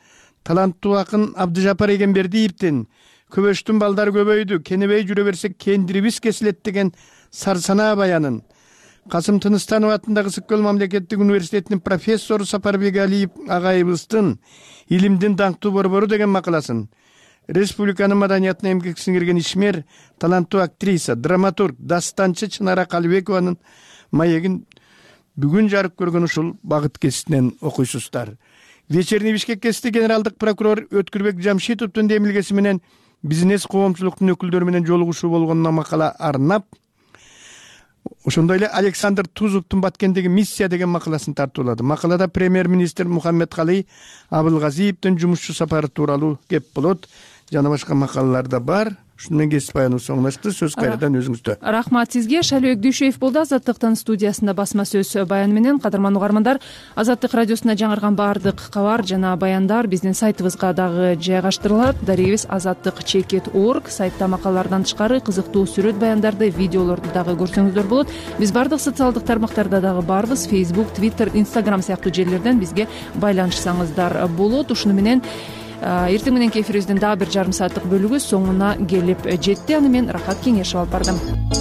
таланттуу акын Абдыжапар Эгембердиевдин көбөштүн балдары көбөйдү, кенебей жүрө берсек кендирибиз кесилет деген сарсанаа баянын, Касым Тыныстанов атындагы Ысык көл мамлекеттик университетинин профессору Сапарбек Алиев агайыбыздын илимдин даңктуу борбору деген макаласын, республиканын маданиятына эмгек сиңирген ишмер, таланттуу актриса, драматург, дастанчы Чынара Калыбекованын маегин бүгүн жарык көргөн ушул Багыт гезитинен окуйсуздар. Вечерний Бишкек гезити генералдык прокурор Өткүрбек Жамшитовдун демилгеси менен бизнес коомчулуктун өкүлдөрү менен жолугушуу болгонуна макала арнап, ошондой эле Александр Тузовдун Баткендеги миссия деген макаласын тартуулады. Макалада премьер-министр Мухаммедкалый Абылгазиевдин жумушчу сапары тууралуу кеп болот. Жана башка макалалар да бар. Ушуну менен кесип баяныбыз соңлашты. Сөз кайрадан өзүңүздө. Рахмат сизге. Шалбек Дүйшөев болду Азаттыктын студиясында басма сөз баяны менен. Кадырман угармандар, Азаттык радиосуна жаңырган баардык кабар жана баяндар биздин сайтыбызга дагы жайгаштырылат. Дарегибиз азаттык чекит орг. Сайтта макалалардан тышкары кызыктуу сүрөт баяндарды, видеолорду дагы көрсөңүздөр болот. Биз баардык социалдык тармактарда дагы барбыз. Facebook, Twitter, Instagram сыяктуу жерлерден бизге байланышсаңыздар болот. Ушуну менен эртең мененки эфирибиздин дагы бир жарым сааттык бөлүгү соңуна келип жетти. Аны мен Рахат Кеңешев алып бардым.